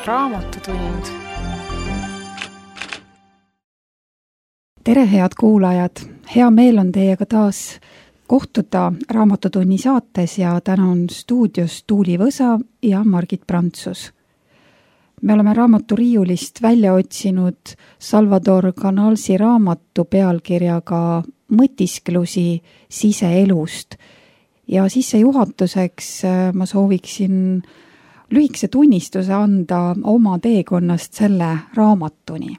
Raamatutund. Tere, head kuulajad! Hea meel on teiega taas kohtuda Raamatutunni saates ja täna on stuudios Tuuli Võsa ja Margit Prantsus. Me oleme raamaturiiulist välja otsinud Salvador Canalsi raamatu pealkirjaga Mõtisklusi siseelust ja sissejuhatuseks ma sooviksin lühikese tunnistuse anda oma teekonnast selle raamatuni.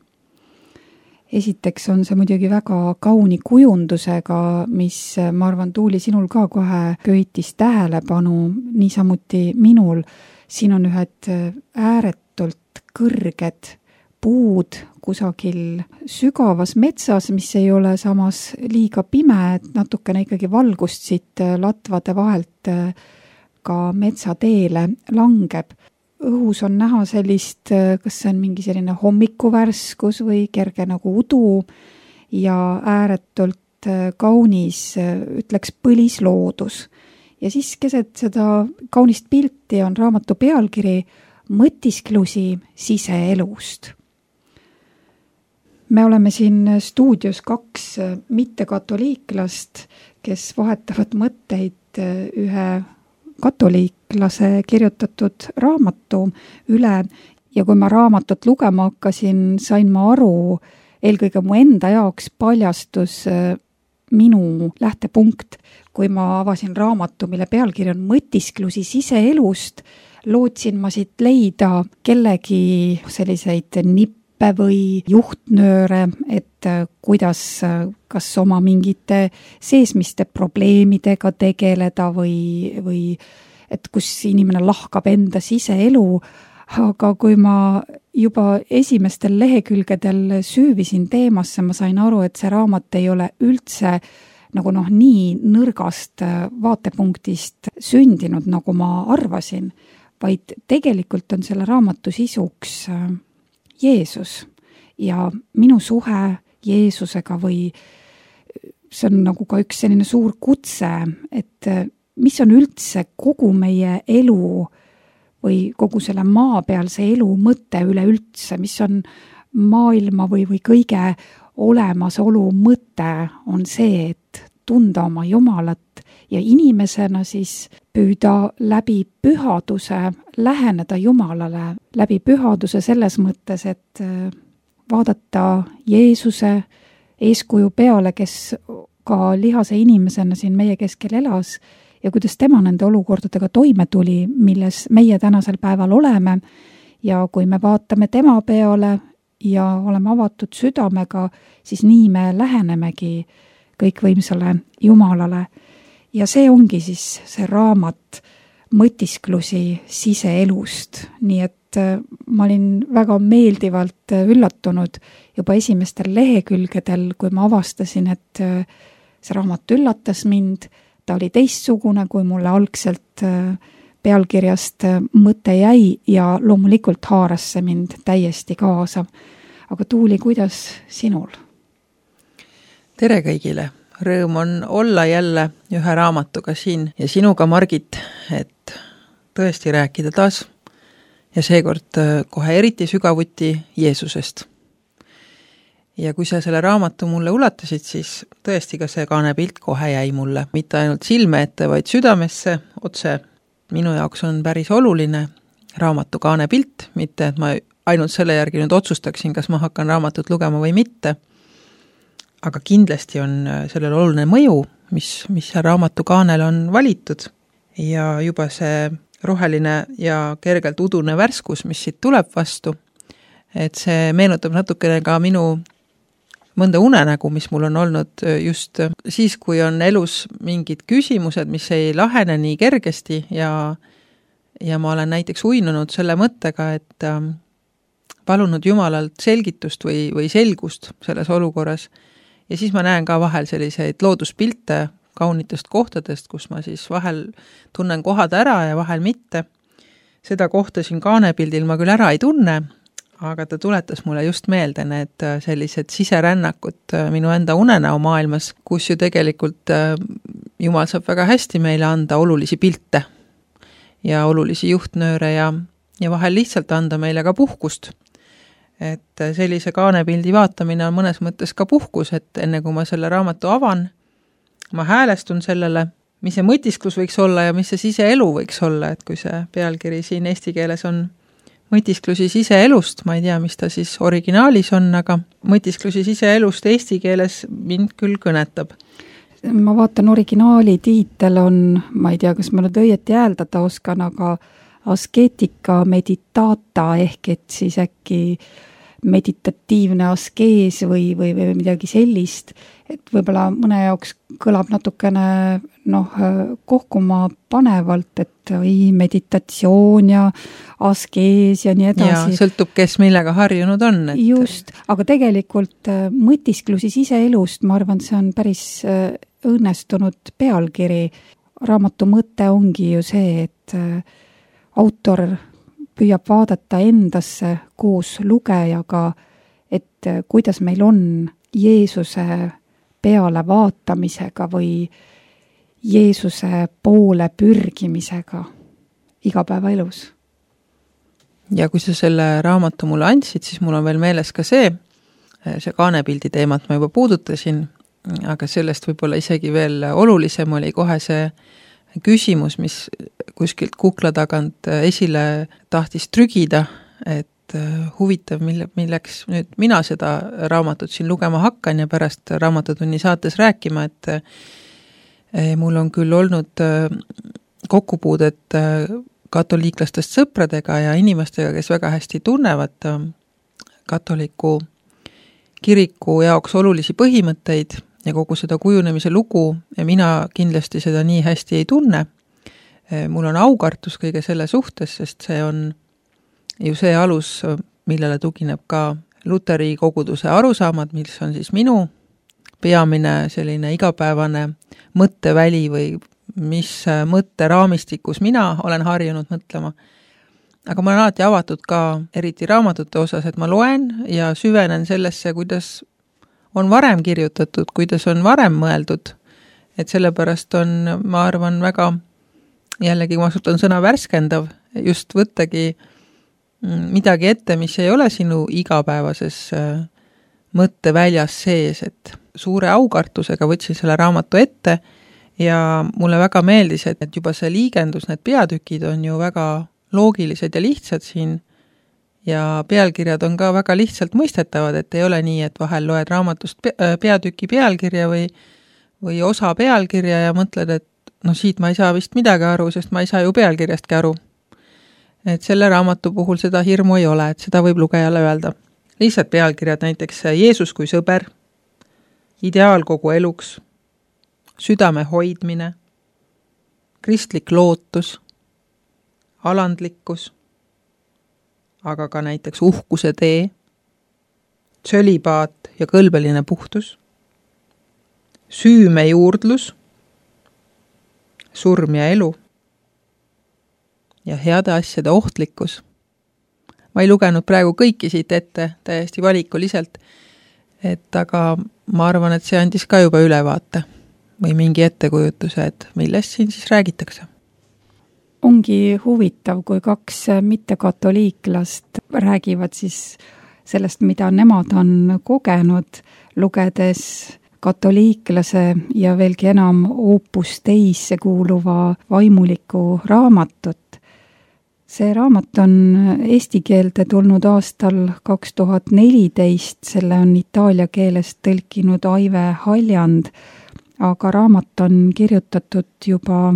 Esiteks on see muidugi väga kauni kujundusega, mis ma arvan, Tuuli, sinul ka kohe köitis tähelepanu, niisamuti minul. Siin on ühed ääretult kõrged puud kusagil sügavas metsas, mis ei ole samas liiga pime, et natukene ikkagi valgust siit latvade vahelt ka metsateele langeb. Õhus on näha sellist, kas see on mingi selline hommikuvärskus või kerge nagu udu ja ääretult kaunis, ütleks põlisloodus. Ja siis keset seda kaunist pilti on raamatu pealkiri Mõtisklusi siseelust. Me oleme siin stuudios 2 mittekatoliiklast, kes vahetavad mõtteid ühe katoliiklase kirjutatud raamatu üle ja kui ma raamatut lugema hakkasin, sain ma aru, eelkõige mu enda jaoks paljastus minu lähtepunkt, kui ma avasin raamatu, mille pealkiri on Mõtisklusi siseelust, lootsin ma siit leida kellegi selliseid nippe või juhtnööre, et kuidas kas oma mingite seesmiste probleemidega tegeleda või et kus inimene lahkab enda siseelu, aga kui ma juba esimestel lehekülgedel süüvisin teemasse, ma sain aru, et see raamat ei ole üldse nagu nii nõrgast vaatepunktist sündinud, nagu ma arvasin, vaid tegelikult on selle raamatu sisuks Jeesus ja minu suhe Jeesusega või see on nagu ka üks selline suur kutse, et mis on üldse kogu meie elu või kogu selle maapealse elu mõte üleüldse, mis on maailma või kõige olemasolu mõte on see, et tunda oma Jumalat ja inimesena siis püüda läbi pühaduse läheneda Jumalale, läbi pühaduse selles mõttes, et vaadata Jeesuse eeskuju peale, kes ka lihase inimesena siin meie keskel elas ja kuidas tema nende olukordadega toime tuli, milles meie tänasel päeval oleme ja kui me vaatame tema peale ja oleme avatud südamega, siis nii me lähenemegi kõikvõimsale Jumalale. Ja see ongi siis see raamat Mõtisklusi siseelust, nii et ma olin väga meeldivalt üllatunud juba esimestel lehekülgedel, kui ma avastasin, et see raamat üllatas mind, ta oli teistsugune, kui mulle algselt pealkirjast mõte jäi ja loomulikult haaras see mind täiesti kaasa. Aga Tuuli, kuidas sinul? Tere kõigile! Rõõm on olla jälle ühe raamatuga siin ja sinuga, Margit, et tõesti rääkida taas ja seekord kohe eriti sügavuti Jeesusest. Ja kui sa selle raamatu mulle ulatasid, siis tõesti ka see kaanepilt kohe jäi mulle. Mitte ainult silme ette, vaid südamesse otse. Minu jaoks on päris oluline raamatu kaanepilt, mitte et ma ainult selle järgi nüüd otsustaksin, kas ma hakkan raamatut lugema või mitte. Aga kindlasti on sellel oluline mõju, mis raamatu kaanel on valitud ja juba see roheline ja kergelt udune värskus, mis siit tuleb vastu, et see meenutab natukene ka minu mõnda unenägu, mis mul on olnud just siis, kui on elus mingid küsimused, mis ei lahene nii kergesti ja ma olen näiteks uinunud selle mõttega, et palunud Jumalalt selgitust või selgust selles olukorras. Ja siis ma näen ka vahel selliseid looduspilte kaunitest kohtadest, kus ma siis vahel tunnen kohad ära ja vahel mitte. Seda kohta siin kaanepildil ma küll ära ei tunne, aga ta tuletas mulle just meelde need sellised siserännakud minu enda unenäo maailmas, kus ju tegelikult Jumal saab väga hästi meile anda olulisi pilte ja olulisi juhtnööre ja ja vahel lihtsalt anda meile ka puhkust. Et sellise kaanepildi vaatamine on mõnes mõttes ka puhkus, et enne kui ma selle raamatu avan, ma häälestun sellele, mis see mõtisklus võiks olla ja mis see siseelu võiks olla, et kui see pealkiri siin eesti keeles on mõtisklusi siseelust, ma ei tea, mis ta siis originaalis on, aga mõtisklusi siseelust eesti keeles mind küll kõnetab. Ma vaatan, originaali tiitel on, ma ei tea, kas ma nüüd õieti hääldada oskan, aga askeetika meditata ehk et siis äkki meditatiivne askees või midagi sellist, et võib-olla mõne jaoks kõlab natukene kohkuma panevalt, et meditatsioon ja askees ja nii edasi. Ja sõltub, kes millega harjunud on. Et... Just, aga tegelikult mõtisklusi siseelust, ma arvan, see on päris õnnestunud pealkiri. Raamatu mõte ongi ju see, et autor püüab vaadata endasse koos lugejaga, et kuidas meil on Jeesuse peale vaatamisega või Jeesuse poole pürgimisega igapäevaelus. Ja kui sa selle raamatu mulle andsid, siis mul on veel meeles ka see kaanepildi teemat ma juba puudutasin, aga sellest võib-olla isegi veel olulisem oli kohe see küsimus, mis kuskilt kukla tagant esile tahtis trügida, et huvitav, milleks nüüd mina seda raamatut siin lugema hakkan ja pärast Raamatutunni saates rääkima, et mul on küll olnud kokkupuudet katoliiklastest sõpradega ja inimestega, kes väga hästi tunnevad katoliku kiriku jaoks olulisi põhimõtteid ja kogu seda kujunemise lugu ja mina kindlasti seda nii hästi ei tunne. Mul on aukartus kõige selle suhtes, sest see on ju see alus, millele tugineb ka Luteri koguduse arusaamad, mis on siis minu peamine selline igapäevane mõtteväli või mis mõtteraamistikus mina olen harjunud mõtlema. Aga ma olen alati avatud ka eriti raamatute osas, et ma loen ja süvenen sellesse, kuidas on varem kirjutatud, kuidas on varem mõeldud, et sellepärast on, ma arvan, väga, jällegi ma kasutan sõna värskendav, just võttagi midagi ette, mis ei ole sinu igapäevases mõtteväljas sees, et suure aukartusega võtsin selle raamatu ette ja mulle väga meeldis, et juba see liigendus, need peatükid on ju väga loogilised ja lihtsad siin, ja pealkirjad on ka väga lihtsalt mõistetavad, et ei ole nii, et vahel loed raamatust peatüki pealkirja või osa pealkirja ja mõtled, et siit ma ei saa vist midagi aru, sest ma ei saa ju pealkirjastki aru. Et selle raamatu puhul seda hirmu ei ole, et seda võib lugejale öelda. Lihtsalt pealkirjad näiteks Jeesus kui sõber, ideaal kogu eluks, südame hoidmine, kristlik lootus, alandlikkus, aga ka näiteks uhkuse tee, tsölibaat ja kõlbeline puhtus, süümejuurdlus, surm ja elu ja heade asjade ohtlikkus. Ma ei lugenud praegu kõiki siit ette täiesti valikuliselt, aga ma arvan, et see andis ka juba ülevaate või mingi ettekujutuse, et millest siin siis räägitakse. Ongi huvitav, kui kaks mittekatoliiklast räägivad siis sellest, mida nemad on kogenud, lugedes katoliiklase ja veelgi enam Opus Deisse kuuluva vaimuliku raamatut. See raamat on eesti keelde tulnud aastal 2014, selle on itaalia keelest tõlkinud Aive Haljand, aga raamat on kirjutatud juba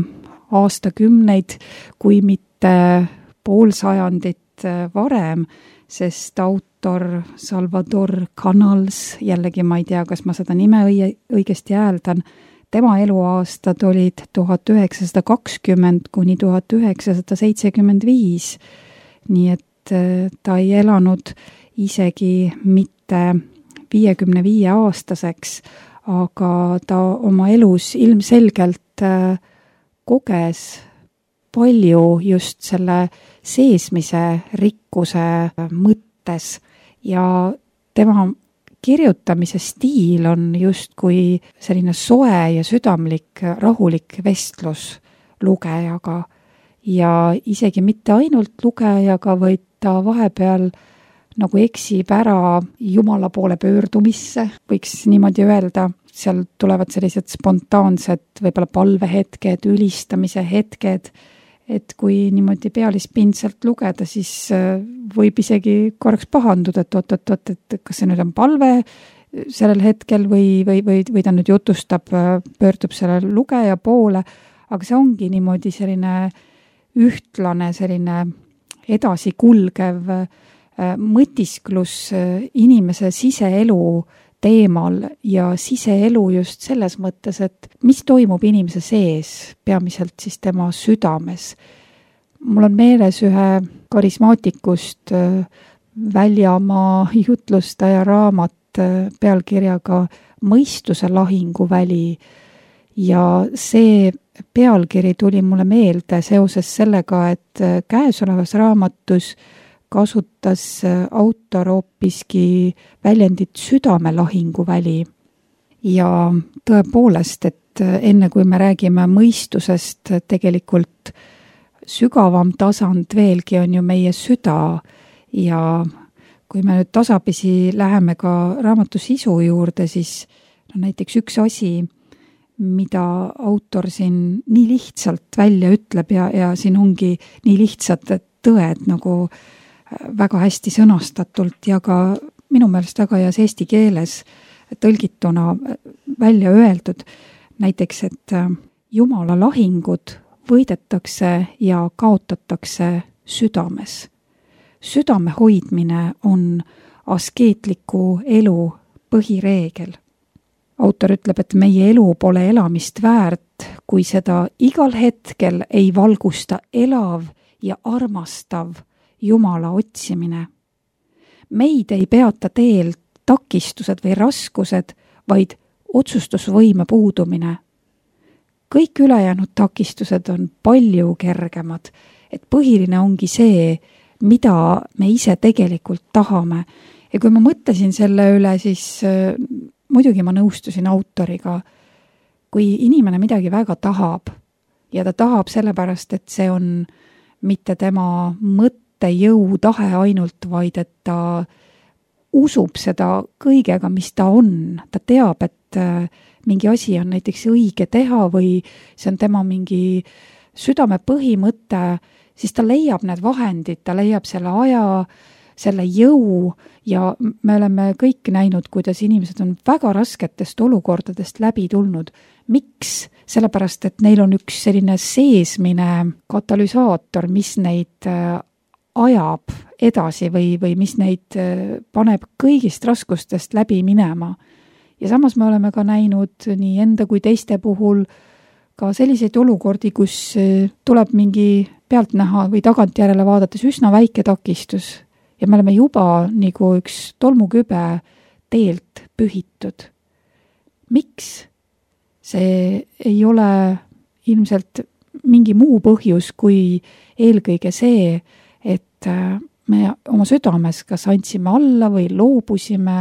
aastakümneid, kui mitte poolsajandit varem, sest autor Salvador Canals, jällegi ma ei tea, kas ma seda nime õigesti hääldan, tema eluaastad olid 1920 kuni 1975, nii et ta ei elanud isegi mitte 55-aastaseks, aga ta oma elus ilmselgelt koges palju just selle seesmise rikkuse mõttes ja tema kirjutamise stiil on justkui selline soe ja südamlik, rahulik vestlus lugejaga ja isegi mitte ainult lugejaga, vaid ta vahepeal nagu eksib ära Jumala poole pöördumisse, võiks niimoodi öelda. Seal tulevad sellised spontaansed võib-olla palvehetked, ülistamise hetked, et kui niimoodi pealispindselt lugeda, siis võib isegi korraks pahanduda, et oot, et kas see nüüd on palve sellel hetkel või ta nüüd jutustab, pöördub selle lugeja poole, aga see ongi niimoodi selline ühtlane, selline edasikulgev mõtisklus inimese siseelu teemal ja siseelu just selles mõttes, et mis toimub inimese sees, peamiselt siis tema südames. Mul on meeles ühe karismaatikust Väljamaa jutlustaja raamat pealkirjaga Mõistuse lahinguväli ja see pealkiri tuli mulle meelde seoses sellega, et käesolevas raamatus kasutas autor hoopiski väljendit südamelahinguväli. Ja tõepoolest, et enne kui me räägime mõistusest, tegelikult sügavam tasand veelgi on ju meie süda ja kui me nüüd tasapisi läheme ka raamatu sisu juurde, siis näiteks üks asi, mida autor siin nii lihtsalt välja ütleb ja siin ongi nii lihtsad tõed nagu väga hästi sõnastatult ja ka minu meelest väga heas eesti keeles tõlgituna välja öeldud. Näiteks, et Jumala lahingud võidetakse ja kaotatakse südames. Südame hoidmine on askeetliku elu põhireegel. Autor ütleb, et meie elu pole elamist väärt, kui seda igal hetkel ei valgusta elav ja armastav Jumala otsimine. Meid ei peata teel takistused või raskused, vaid otsustusvõime puudumine. Kõik ülejäänud takistused on palju kergemad, et põhiline ongi see, mida me ise tegelikult tahame. Ja kui ma mõtlesin selle üle, siis muidugi ma nõustusin autoriga. Kui inimene midagi väga tahab ja ta tahab sellepärast, et see on mitte tema mõttejõu tahe ainult, vaid et ta usub seda kõigega, mis ta on. Ta teab, et mingi asi on näiteks õige teha või see on tema mingi südame põhimõte, siis ta leiab need vahendid, ta leiab selle aja, selle jõu ja me oleme kõik näinud, kuidas inimesed on väga rasketest olukordadest läbi tulnud. Miks? Sellepärast, et neil on üks selline seesmine katalüsaator, mis neid ajab edasi või mis neid paneb kõigist raskustest läbi minema. Ja samas me oleme ka näinud nii enda kui teiste puhul ka selliseid olukordi, kus tuleb mingi pealtnäha või tagantjärele vaadates üsna väike takistus ja me oleme juba nagu üks tolmukübe teelt pühitud. Miks? See ei ole ilmselt mingi muu põhjus kui eelkõige see, et me oma südames kas andsime alla või loobusime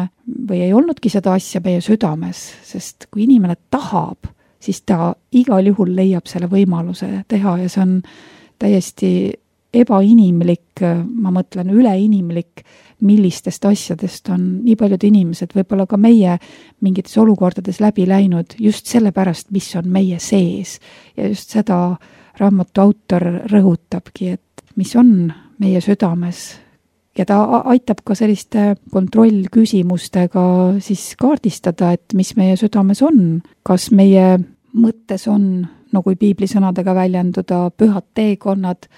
või ei olnudki seda asja meie südames, sest kui inimene tahab, siis ta igal juhul leiab selle võimaluse teha ja see on täiesti ebainimlik, ma mõtlen üleinimlik, millistest asjadest on nii paljud inimesed, võib-olla ka meie mingites olukordades läbi läinud just sellepärast, mis on meie sees. Ja just seda raamatu autor rõhutabki, et mis on meie südames. Ja ta aitab ka selliste kontrollküsimustega siis kaardistada, et mis meie südames on. Kas meie mõttes on, no kui piiblisõnadega väljenduda, pühad teekonnad,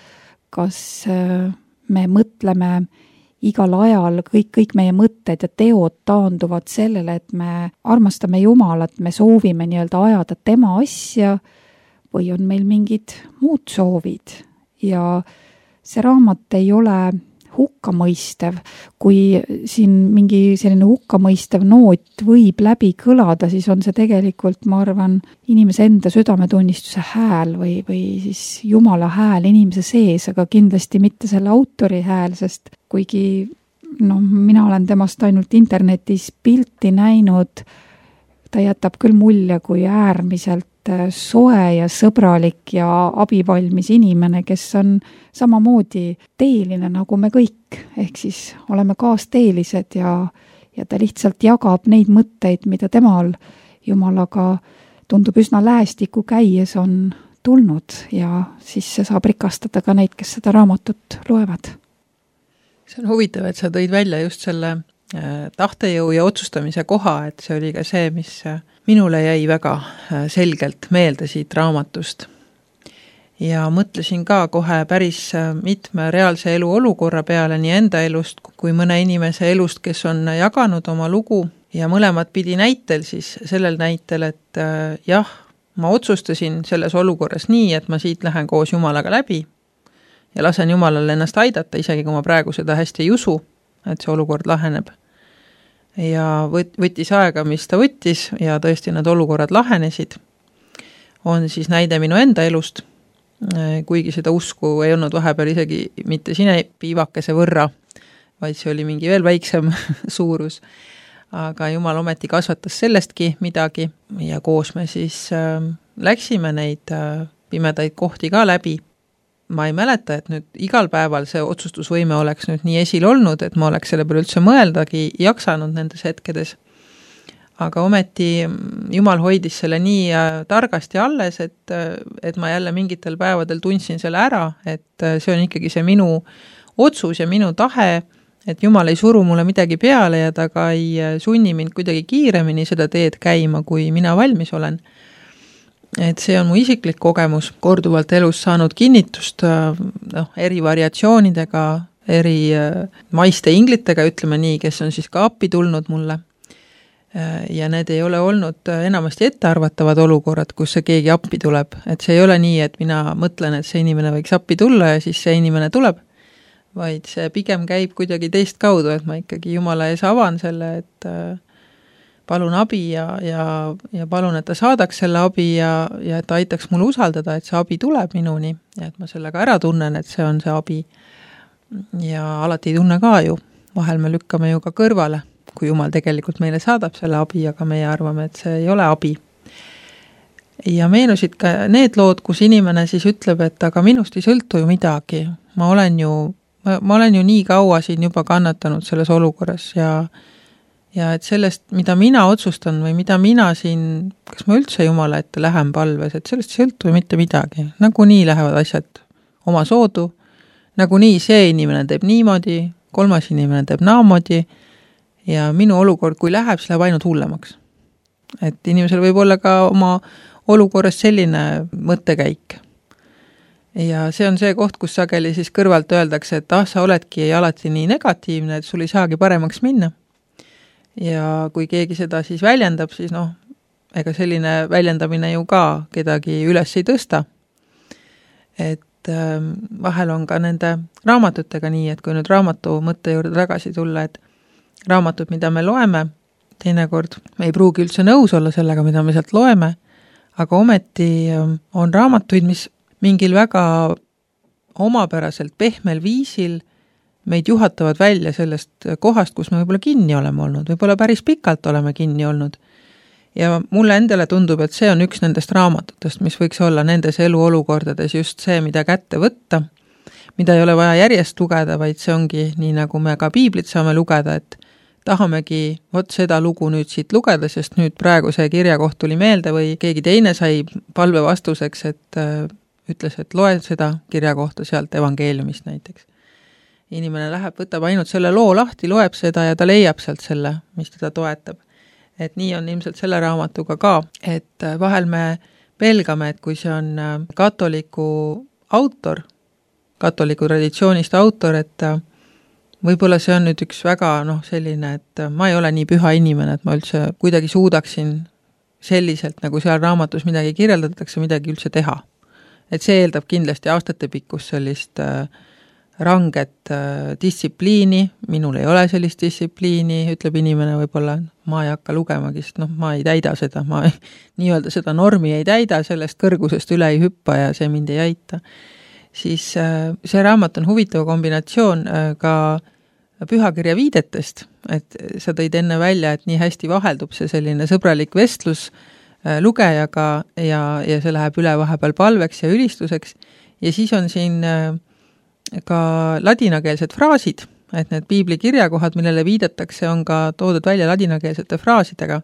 kas me mõtleme igal ajal, kõik meie mõtted ja teod taanduvad sellele, et me armastame Jumalat, me soovime nii-öelda ajada tema asja või on meil mingid muud soovid. Ja see raamat ei ole hukkamõistev. Kui siin mingi selline hukkamõistev noot võib läbi kõlada, siis on see tegelikult, ma arvan, inimese enda südametunnistuse hääl või siis Jumala hääl inimese sees, aga kindlasti mitte selle autori hääl, sest kuigi mina olen temast ainult internetis pilti näinud, ta jätab küll mulje kui äärmiselt soe ja sõbralik ja abivalmis inimene, kes on samamoodi teeline nagu me kõik, ehk siis oleme kaasteelised ja ta lihtsalt jagab neid mõtteid, mida temal Jumalaga tundub üsna lähestikku käies on tulnud ja siis see saab rikastada ka neid, kes seda raamatut loevad. See on huvitav, et sa tõid välja just selle tahtejõu ja otsustamise koha, et see oli ka see, mis minule jäi väga selgelt meelde siit raamatust. Ja mõtlesin ka kohe päris mitme reaalse elu olukorra peale nii enda elust kui mõne inimese elust, kes on jaganud oma lugu ja mõlemad pidi näitel siis sellel näitel, et jah, ma otsustasin selles olukorras nii, et ma siit lähen koos Jumalaga läbi ja lasen Jumalal ennast aidata, isegi kui ma praegu seda hästi ei usu, et see olukord laheneb. Ja võttis aega, mis ta võttis ja tõesti need olukorrad lahenesid. On siis näide minu enda elust, kuigi seda usku ei olnud vahepeal isegi mitte sinepiivakese võrra, vaid see oli mingi veel väiksem suurus. Aga Jumal ometi kasvatas sellestki midagi ja koos me siis läksime neid pimedaid kohti ka läbi. Ma ei mäleta, et nüüd igal päeval see otsustusvõime oleks nüüd nii esil olnud, et ma oleks selle peale üldse mõeldagi jaksanud nendes hetkedes. Aga ometi Jumal hoidis selle nii targasti alles, et ma jälle mingitel päevadel tundsin selle ära, et see on ikkagi see minu otsus ja minu tahe, et Jumal ei suru mulle midagi peale ja ta ka ei sunni mind kuidagi kiiremini seda teed käima, kui mina valmis olen. Et see on mu isiklik kogemus, korduvalt elus saanud kinnitust eri variatsioonidega, eri maiste inglitega, ütleme nii, kes on siis ka appi tulnud mulle. Ja need ei ole olnud enamasti ettearvatavad olukorrad, kus see keegi appi tuleb. Et see ei ole nii, et mina mõtlen, et see inimene võiks appi tulla ja siis see inimene tuleb, vaid see pigem käib kuidagi teist kaudu, et ma ikkagi Jumala ees avan selle, et palun abi ja palun, et ta saadaks selle abi ja et ta aitaks mul usaldada, et see abi tuleb minuni ja et ma sellega ära tunnen, et see on see abi. Ja alati ei tunne ka ju, vahel me lükkame ju ka kõrvale, kui Jumal tegelikult meile saadab selle abi, aga meie arvame, et see ei ole abi. Ja meenusid ka need lood, kus inimene siis ütleb, et aga minust ei sõltu ju midagi. Ma olen ju nii kaua siin juba kannatanud selles olukorras ja et sellest, mida mina otsustan või mida mina siin, kas ma üldse Jumala ette lähen palves, et sellest sõltu ju mitte midagi. Nagu nii lähevad asjad oma soodu, nagu nii see inimene teeb niimoodi, kolmas inimene teeb naamoodi ja minu olukord, kui läheb, siis läheb ainult hullemaks. Et inimesel võib olla ka oma olukorras selline mõttekäik. Ja see on see koht, kus sageli siis kõrvalt öeldakse, et sa oledki alati nii negatiivne, et sul ei saagi paremaks minna. Ja kui keegi seda siis väljendab, siis ega selline väljendamine ju ka kedagi üles ei tõsta. Et vahel on ka nende raamatutega nii, et kui nüüd raamatu mõtte juurde tagasi tulla, et raamatud, mida me loeme, teinekord me ei pruugi üldse nõus olla sellega, mida me sealt loeme, aga ometi on raamatuid, mis mingil väga omapäraselt pehmel viisil meid juhatavad välja sellest kohast, kus me võib-olla kinni oleme olnud, võib-olla päris pikalt oleme kinni olnud. Ja mulle endale tundub, et see on üks nendest raamatutest, mis võiks olla nendes eluolukordades just see, mida kätte võtta, mida ei ole vaja järjest lugeda, vaid see ongi nii, nagu me ka piiblit saame lugeda, et tahamegi seda lugu nüüd siit lugeda, sest nüüd praegu see kirjakoht tuli meelde või keegi teine sai palve vastuseks, et ütles, et loe seda kirjakohta sealt evangeeliumist näiteks. Inimene läheb, võtab ainult selle loo lahti, loeb seda ja ta leiab sealt selle, mis teda toetab. Et nii on ilmselt selle raamatuga ka, et vahel me pelgame, et kui see on katoliku autor, katoliku traditsioonist autor, et võib-olla see on nüüd üks väga selline, et ma ei ole nii püha inimene, et ma üldse kuidagi suudaksin selliselt, nagu seal raamatus midagi kirjeldatakse, midagi üldse teha. Et see eeldab kindlasti aastate pikkus sellist ranget distsipliini, minul ei ole sellist distsipliini, ütleb inimene võib-olla, ma ei hakka lugemagi, sest ma ei täida seda, ma nii-öelda seda normi ei täida, sellest kõrgusest üle ei hüppa ja see mind ei aita. Siis see raamat on huvitav kombinatsioon ka pühakirja viidetest, et sa tõid enne välja, et nii hästi vaheldub see selline sõbralik vestlus lugejaga ja see läheb üle vahepeal palveks ja ülistuseks ja siis on siin ka ladinakeelsed fraasid, et need piibli kirjakohad, millele viidatakse, on ka toodud välja ladinakeelsete fraasidega,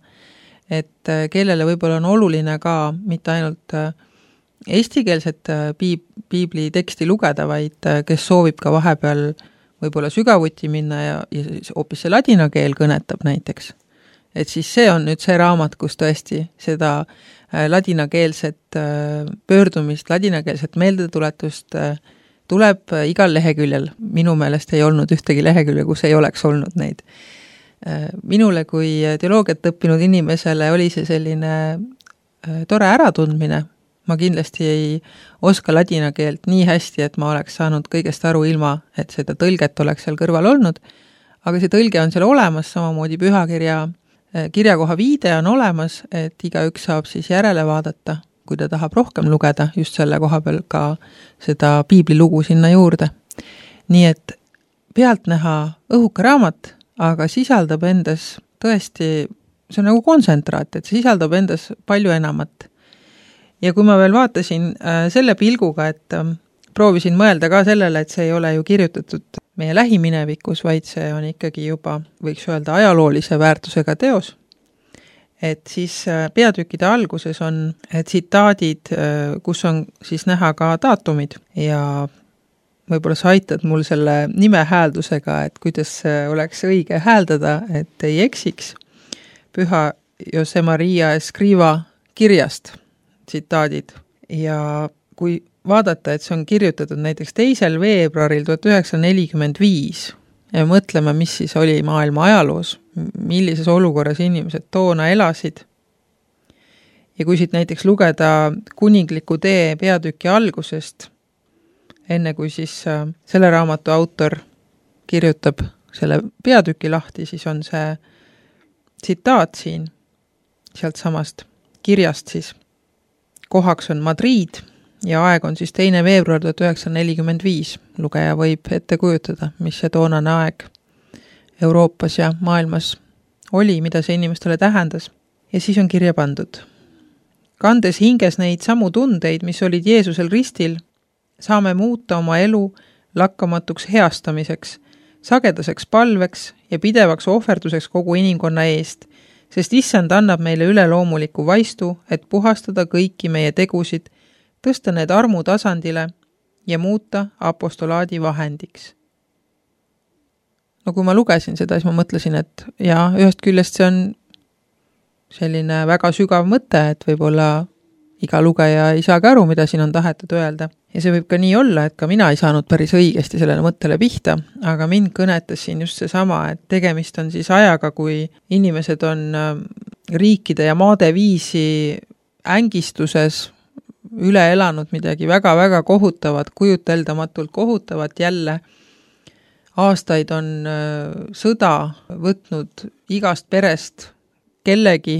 et kellele võib-olla on oluline ka mitte ainult eestikeelset piibli teksti lugeda, vaid kes soovib ka vahepeal võib-olla sügavuti minna ja hoopis see ladina keel kõnetab näiteks. Et siis see on nüüd see raamat, kus tõesti seda ladinakeelset pöördumist, ladinakeelset meeldetuletust tuleb igal leheküljel. Minu meelest ei olnud ühtegi lehekülje, kus ei oleks olnud neid. Minule kui teoloogiat õppinud inimesele oli see selline tore äratundmine. Ma kindlasti ei oska ladina keelt nii hästi, et ma oleks saanud kõigest aru ilma, et seda tõlget oleks seal kõrval olnud, aga see tõlge on seal olemas, samamoodi pühakirja kirjakoha viide on olemas, et igaüks saab siis järele vaadata, kui ta tahab rohkem lugeda, just selle koha peal ka seda piiblilugu sinna juurde. Nii et pealtnäha õhuka raamat, aga sisaldab endas tõesti, see on nagu kontsentraat, et sisaldab endas palju enamat. Ja kui ma veel vaatasin selle pilguga, et proovisin mõelda ka sellele, et see ei ole ju kirjutatud meie lähiminevikus, vaid see on ikkagi juba, võiks öelda, ajaloolise väärtusega teos, et siis peatükkide alguses on tsitaadid, kus on siis näha ka daatumid ja võib-olla sa aitad mul selle nime hääldusega, et kuidas oleks õige hääldada, et ei eksiks. Püha Jose Maria Escriva kirjast tsitaadid ja kui vaadata, et see on kirjutatud näiteks 2. veebruaril 1945 ja mõtleme, mis siis oli maailma ajaloos, millises olukorras inimesed toona elasid. Ja kui siit näiteks lugeda Kuningliku tee peatüki algusest, enne kui siis selle raamatu autor kirjutab selle peatüki lahti, siis on see tsitaat siin sealt samast kirjast siis. Kohaks on Madrid ja aeg on siis 2. veebruar 1945. Lugeja võib ette kujutada, mis see toonane aeg Euroopas ja maailmas oli, mida see inimestele tähendas. Ja siis on kirja pandud. Kandes hinges neid samu tundeid, mis olid Jeesusel ristil, saame muuta oma elu lakkamatuks heastamiseks, sagedaseks palveks ja pidevaks ohverduseks kogu inimkonna eest, sest issand annab meile üleloomuliku vaistu, et puhastada kõiki meie tegusid, tõsta need armu tasandile ja muuta apostolaadi vahendiks. No kui ma lugesin seda, siis ma mõtlesin, et jaa, ühest küljest see on selline väga sügav mõte, et võib-olla iga lugeja ei saagi aru, mida siin on tahetud öelda. Ja see võib ka nii olla, et ka mina ei saanud päris õigesti sellele mõttele pihta, aga mind kõnetas siin just seesama, et tegemist on siis ajaga, kui inimesed on riikide ja maade viisi ängistuses üle elanud midagi väga-väga kohutavat, kujuteldamatult kohutavat jälle. Aastaid on sõda võtnud igast perest kellegi,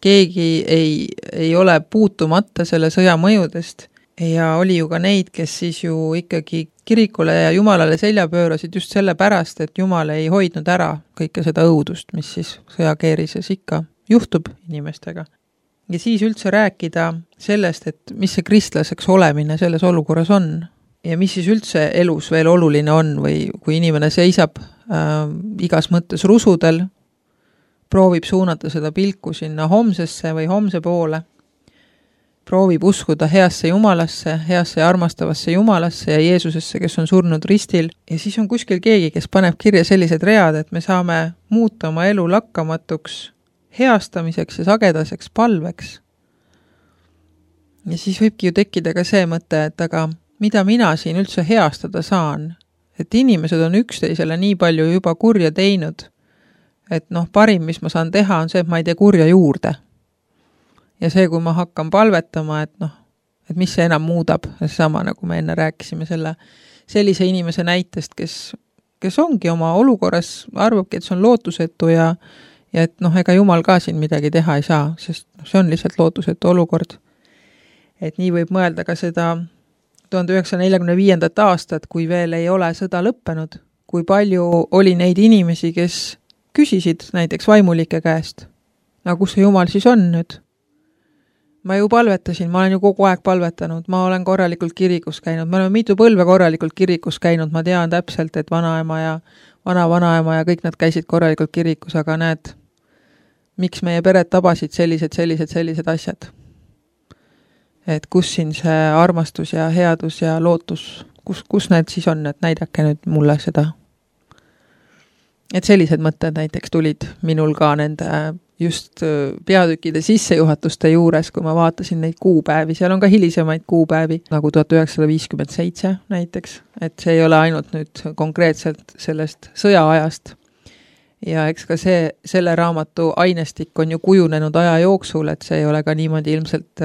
keegi ei ole puutumata selle sõja mõjudest ja oli ju ka neid, kes siis ju ikkagi kirikule ja Jumalale selja pöörasid just selle pärast, et Jumal ei hoidnud ära kõike seda õudust, mis siis sõjakeerises ikka juhtub inimestega. Ja siis üldse rääkida sellest, et mis see kristlaseks olemine selles olukorras on ja mis siis üldse elus veel oluline on või kui inimene seisab igas mõttes rusudel, proovib suunata seda pilku sinna homsesse või homse poole, proovib uskuda heasse Jumalasse, heasse ja armastavasse Jumalasse ja Jeesusesse, kes on surnud ristil. Ja siis on kuskil keegi, kes paneb kirja sellised read, et me saame muuta oma elu lakkamatuks heastamiseks ja sagedaseks palveks. Ja siis võibki ju tekkida ka see mõte, et aga mida mina siin üldse heastada saan? Et inimesed on üksteisele nii palju juba kurja teinud, et parim, mis ma saan teha, on see, et ma ei tee kurja juurde. Ja see, kui ma hakkan palvetama, et mis see enam muudab, sama nagu me enne rääkisime sellise inimese näitest, kes ongi oma olukorras, arvabki, et see on lootusetu ja et ega Jumal ka siin midagi teha ei saa, sest see on lihtsalt lootusetu olukord. Et nii võib mõelda ka seda 1945. aastat, kui veel ei ole sõda lõppenud, kui palju oli neid inimesi, kes küsisid näiteks vaimulike käest, kus see Jumal siis on nüüd? ma ju palvetasin, ma olen ju kogu aeg palvetanud, ma olen korralikult kirikus käinud, me oleme mitu põlve korralikult kirikus käinud, ma tean täpselt, et vanaema ja vanaema ja kõik nad käisid korralikult kirikus, aga näed, miks meie pered tabasid sellised asjad. Et kus siin see armastus ja headus ja lootus, kus need siis on, et näidake nüüd mulle seda. Et sellised mõtted näiteks tulid minul ka nende just peatükkide sissejuhatuste juures, kui ma vaatasin neid kuupäevi, seal on ka hilisemaid kuupäevi, nagu 1957 näiteks, et see ei ole ainult nüüd konkreetselt sellest sõjaajast. Ja eks ka selle raamatu ainestik on ju kujunenud aja jooksul, et see ei ole ka niimoodi ilmselt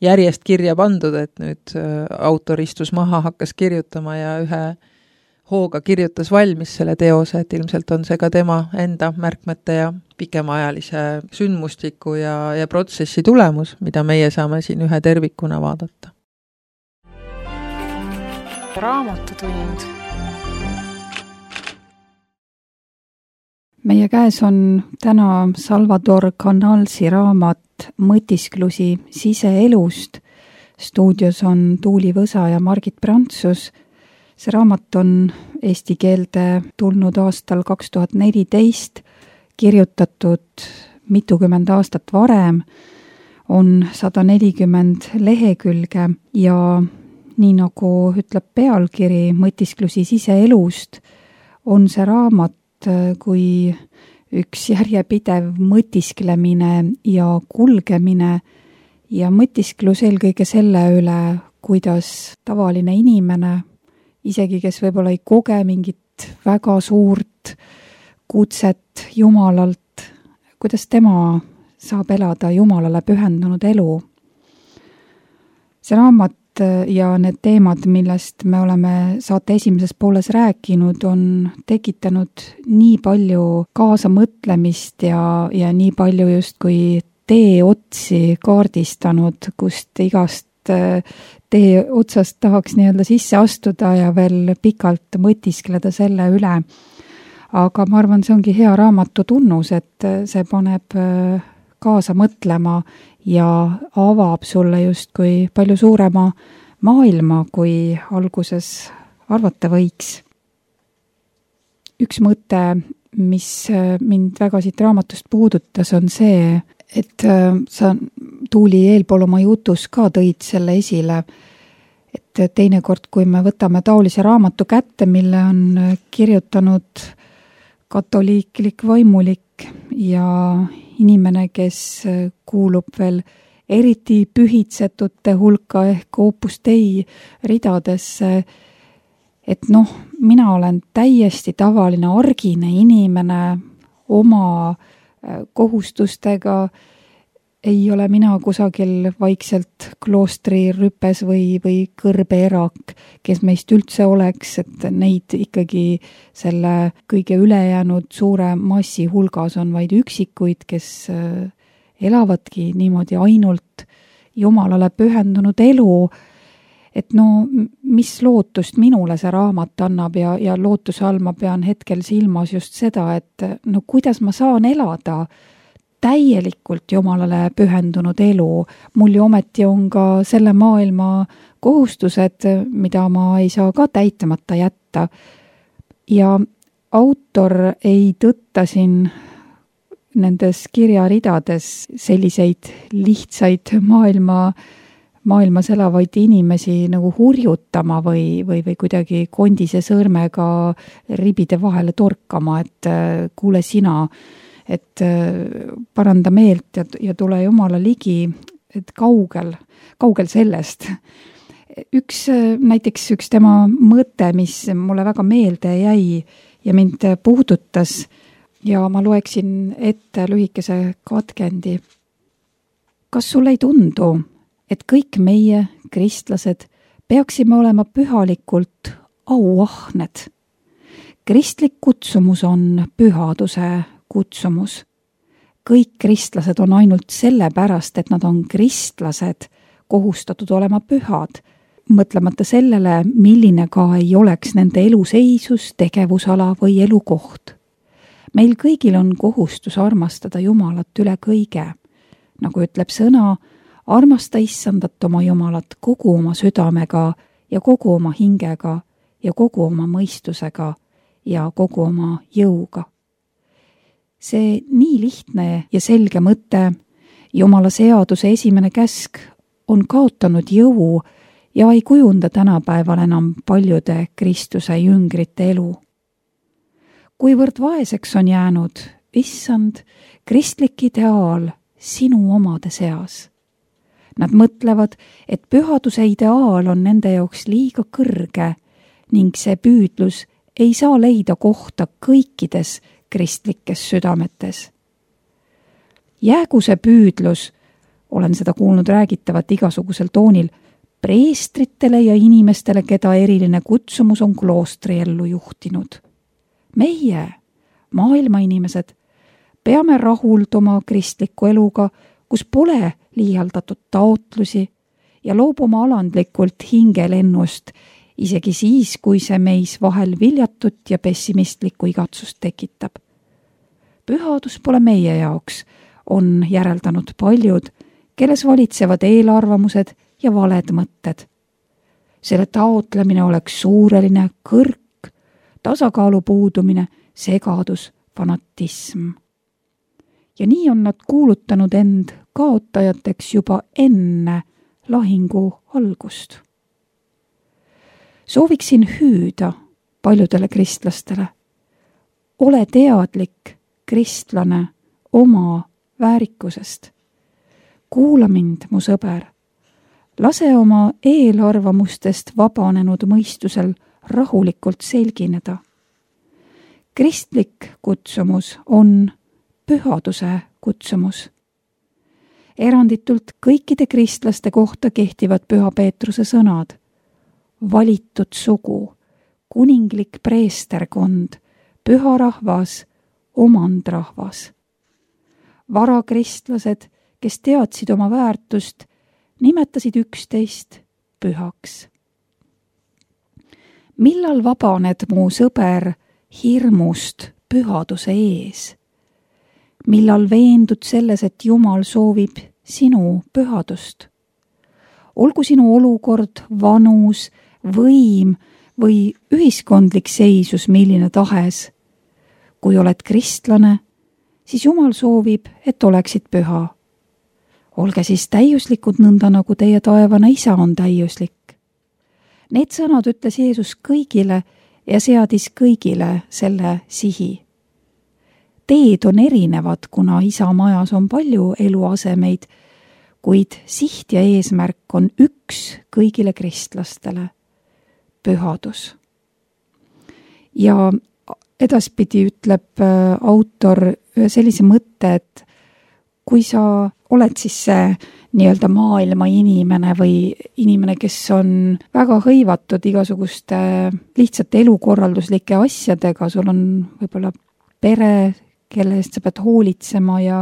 järjest kirja pandud, et nüüd autor istus maha, hakkas kirjutama ja ühe hooga kirjutas valmis selle teose, et ilmselt on see ka tema enda märkmete ja pikemaajalise sündmustiku ja protsessi tulemus, mida meie saame siin ühe tervikuna vaadata. Raamatutund. Meie käes on täna Salvador Canalsi raamat Mõtisklusi siseelust. Stuudios on Tuuli Võsa ja Margit Prantsus. See raamat on eesti keelde tulnud aastal 2014, kirjutatud mitukümmend aastat varem, on 140 lehekülge ja nii nagu ütleb pealkiri Mõtisklusi siseelust, on see raamat kui üks järjepidev mõtisklemine ja kulgemine ja mõtisklus eelkõige selle üle, kuidas tavaline inimene, isegi kes võib-olla ei koge mingit väga suurt kutset Jumalalt, kuidas tema saab elada Jumalale pühendunud elu. See raamat ja need teemad, millest me oleme saate esimeses pooles rääkinud, on tekitanud nii palju kaasamõtlemist ja nii palju justkui teeotsi kaardistanud, kust igast tee otsast tahaks nii-öelda sisse astuda ja veel pikalt mõtiskleda selle üle. Aga ma arvan, see ongi hea raamatu tunnus, et see paneb kaasa mõtlema ja avab sulle justkui palju suurema maailma, kui alguses arvata võiks. Üks mõte, mis mind väga siit raamatust puudutas, on see, et sa Tuuli eelpool oma jutus ka tõid selle esile, et teinekord, kui me võtame taolise raamatu kätte, mille on kirjutanud katoliiklik vaimulik ja inimene, kes kuulub veel eriti pühitsetute hulka ehk Opus Dei ridadesse, et mina olen täiesti tavaline argine inimene oma kohustustega, ei ole mina kusagil vaikselt kloostri rüpes või kõrbeerak, kes meist üldse oleks, et neid ikkagi selle kõige ülejäänud suure massi hulgas on vaid üksikuid, kes elavadki niimoodi ainult Jumalale pühendunud elu, et mis lootust minule see raamat annab ja lootuse all ma pean hetkel silmas just seda, et kuidas ma saan elada täielikult Jumalale pühendunud elu. Mul ju ometi on ka selle maailma kohustused, mida ma ei saa ka täitamata jätta. Ja autor ei tõtta siin nendes kirjaridades selliseid lihtsaid maailmas elavaid inimesi nagu hurjutama või kuidagi kondise sõrmega ribide vahele torkama, et kuule sina, et paranda meelt ja tule Jumala ligi, et kaugel sellest. Näiteks üks tema mõte, mis mulle väga meelde jäi ja mind puudutas ja ma loeksin ette lühikese katkendi. Kas sulle ei tundu, et kõik meie, kristlased, peaksime olema pühalikult auahned? Kristlik kutsumus on pühaduse kutsumus. Kõik kristlased on ainult sellepärast, et nad on kristlased, kohustatud olema pühad, mõtlemata sellele, milline ka ei oleks nende eluseisus, tegevusala või elukoht. Meil kõigil on kohustus armastada Jumalat üle kõige. Nagu ütleb sõna, armasta Issandat oma Jumalat kogu oma südamega ja kogu oma hingega ja kogu oma mõistusega ja kogu oma jõuga. See nii lihtne ja selge mõte, Jumala seaduse esimene käsk, on kaotanud jõu ja ei kujunda tänapäeval enam paljude Kristuse jüngrite elu. Kuivõrd vaeseks on jäänud, Issand, kristlik ideaal sinu omade seas. Nad mõtlevad, et pühaduse ideaal on nende jaoks liiga kõrge ning see püüdlus ei saa leida kohta kõikides kristlikes südametes. Jäägu see püüdlus, olen seda kuulnud räägitavat igasugusel toonil, preestritele ja inimestele, keda eriline kutsumus on kloostri ellu juhtinud. Meie, maailma inimesed, peame rahulduma kristliku eluga, kus pole liialdatud taotlusi ja loobuma alandlikult hingelennust, isegi siis, kui see meis vahel viljatut ja pessimistlikku igatsust tekitab. Pühadus pole meie jaoks, on järeldanud paljud, kelles valitsevad eelarvamused ja valed mõtted. Selle taotlemine oleks suureline kõrk, tasakaalu puudumine, segadus, fanatism. Ja nii on nad kuulutanud end kaotajateks juba enne lahingu algust. Sooviksin hüüda paljudele kristlastele. Ole teadlik, kristlane, oma väärikusest. Kuula mind, mu sõber. Lase oma eelarvamustest vabanenud mõistusel rahulikult selgineda. Kristlik kutsumus on pühaduse kutsumus. Eranditult kõikide kristlaste kohta kehtivad Püha Peetruse sõnad. Valitud sugu, kuninglik preesterkond, püha rahvas, omandrahvas. Varakristlased, kes teadsid oma väärtust, nimetasid üksteist pühaks. Millal vabaned, mu sõber, hirmust pühaduse ees? Millal veendud selles, et Jumal soovib sinu pühadust? Olgu sinu olukord, vanus, võim või ühiskondlik seisus milline tahes. Kui oled kristlane, siis Jumal soovib, et oleksid püha. Olge siis täiuslikud nõnda, nagu teie taevane Isa on täiuslik. Need sõnad ütles Jeesus kõigile ja seadis kõigile selle sihi. Teed on erinevad, kuna Isa majas on palju eluasemeid, kuid siht ja eesmärk on üks kõigile kristlastele, pühadus. Ja edaspidi ütleb autor ühe sellise mõtte, et kui sa oled siis see nii-öelda maailma inimene või inimene, kes on väga hõivatud igasuguste lihtsate elukorralduslike asjadega, sul on võib-olla pere, kelle eest sa pead hoolitsema ja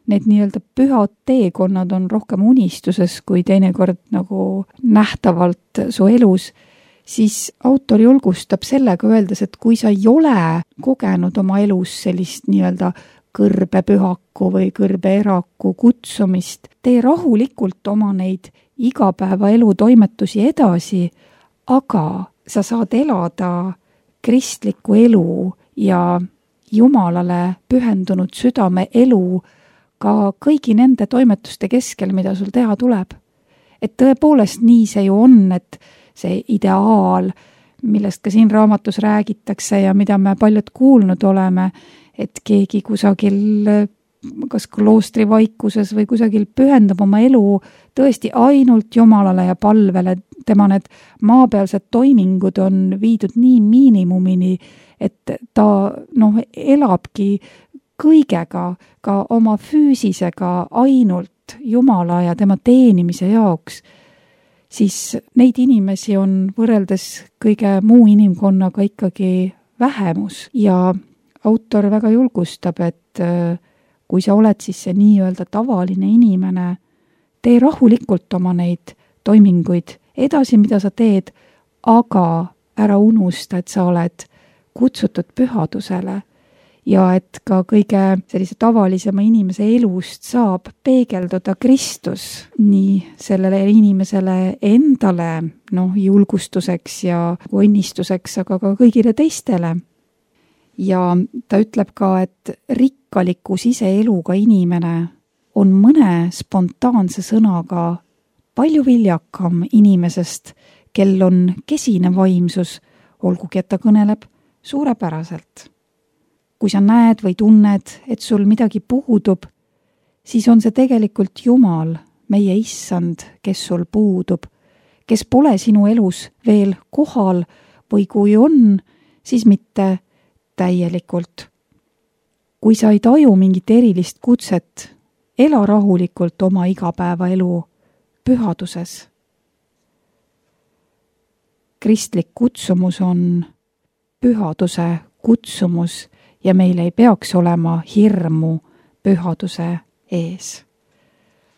need nii-öelda pühad teekonnad on rohkem unistuses kui teinekord nagu nähtavalt su elus, siis autor julgustab sellega öeldes, et kui sa ei ole kogenud oma elus sellist nii-öelda kõrbepühaku või kõrbeeraku kutsumist, tee rahulikult oma neid igapäevaelu toimetusi edasi, aga sa saad elada kristlikku elu ja Jumalale pühendunud südame elu ka kõigi nende toimetuste keskel, mida sul teha tuleb. Et tõepoolest nii see ju on, et see ideaal, millest ka siin raamatus räägitakse ja mida me paljud kuulnud oleme, et keegi kusagil kas kloostri vaikuses või kusagil pühendab oma elu tõesti ainult Jumalale ja palvele, tema need maapealsed toimingud on viidud nii miinimumini, et ta elabki kõigega, ka oma füüsisega ainult Jumala ja tema teenimise jaoks, siis neid inimesi on võrreldes kõige muu inimkonnaga ikkagi vähemus ja autor väga julgustab, et kui sa oled siis see nii-öelda tavaline inimene, tee rahulikult oma neid toiminguid edasi, mida sa teed, aga ära unusta, et sa oled kutsutud pühadusele ja et ka kõige sellise tavalisema inimese elust saab peegelduda Kristus nii sellele inimesele endale julgustuseks ja õnnistuseks, aga ka kõigile teistele. Ja ta ütleb ka, et rikkaliku siseeluga inimene on mõne spontaanse sõnaga palju viljakam inimesest, kel on kesine vaimsus, olgugi et ta kõneleb suurepäraselt. Kui sa näed või tunned, et sul midagi puudub, siis on see tegelikult Jumal, meie Issand, kes sul puudub, kes pole sinu elus veel kohal või kui on, siis mitte täielikult. Kui sa ei taju mingit erilist kutset, ela rahulikult oma igapäevaelu pühaduses. Kristlik kutsumus on pühaduse kutsumus ja meil ei peaks olema hirmu pühaduse ees.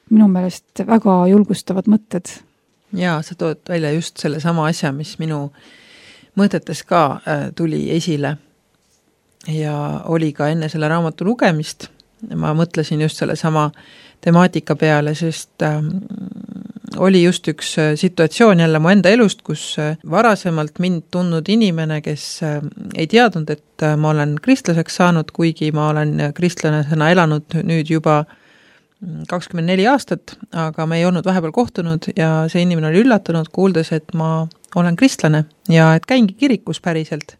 Minu meelest väga julgustavad mõtted. Jaa, sa tood välja just selle sama asja, mis minu mõtetes ka tuli esile ja oli ka enne selle raamatu lugemist. Ma mõtlesin just selle sama temaatika peale, sest oli just üks situatsioon jälle mu enda elust, kus varasemalt mind tundnud inimene, kes ei teadnud, et ma olen kristlaseks saanud, kuigi ma olen kristlasena elanud nüüd juba 24 aastat, aga me ei olnud vahepeal kohtunud ja see inimene oli üllatunud, kuuldes, et ma olen kristlane ja et käingi kirikus päriselt.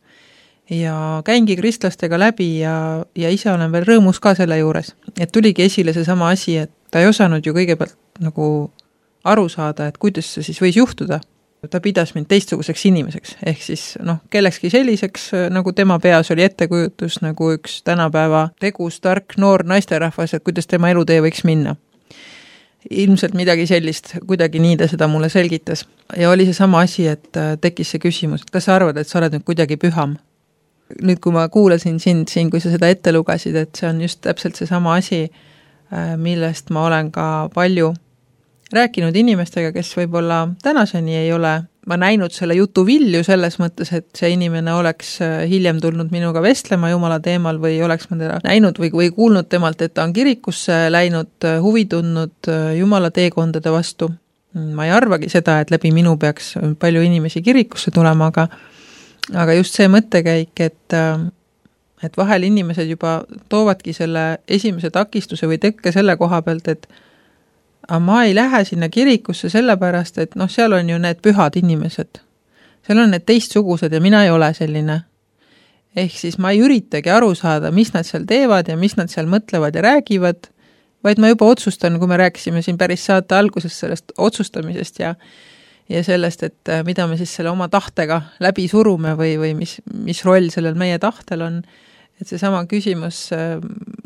Ja käingi kristlastega läbi ja ise olen veel rõõmus ka selle juures. Et tuligi esile see sama asi, et ta ei osanud ju kõigepealt nagu aru saada, et kuidas see siis võis juhtuda. Ta pidas mind teistsuguseks inimeseks, ehk siis kellekski selliseks, nagu tema peas oli ettekujutus, nagu üks tänapäeva tegus, tark, noor naisterahvas, et kuidas tema elutee võiks minna. Ilmselt midagi sellist, kuidagi nii ta seda mulle selgitas. Ja oli see sama asi, et tekkis see küsimus, et kas sa arvad, et sa oled nüüd kuidagi püham? Nüüd, kui ma kuulasin sind siin, kui sa seda ette lugasid, et see on just täpselt see sama asi, millest ma olen ka palju rääkinud inimestega, kes võib-olla tänaseni ei ole ma näinud selle jutu vilju selles mõttes, et see inimene oleks hiljem tulnud minuga vestlema Jumala teemal või oleks ma teda näinud või kuulnud temalt, et ta on kirikusse läinud, huvi tundnud Jumala teekondade vastu. Ma ei arvagi seda, et läbi minu peaks palju inimesi kirikusse tulema, aga just see mõttekäik, et vahel inimesed juba toovadki selle esimese takistuse või tekke selle koha pealt, et aga ma ei lähe sinna kirikusse sellepärast, et seal on ju need pühad inimesed. Seal on need teistsugused ja mina ei ole selline. Ehk siis ma ei üritagi aru saada, mis nad seal teevad ja mis nad seal mõtlevad ja räägivad, vaid ma juba otsustan, kui me rääkisime siin päris saate alguses sellest otsustamisest ja sellest, et mida me siis selle oma tahtega läbi surume või mis roll sellel meie tahtel on. Et see sama küsimus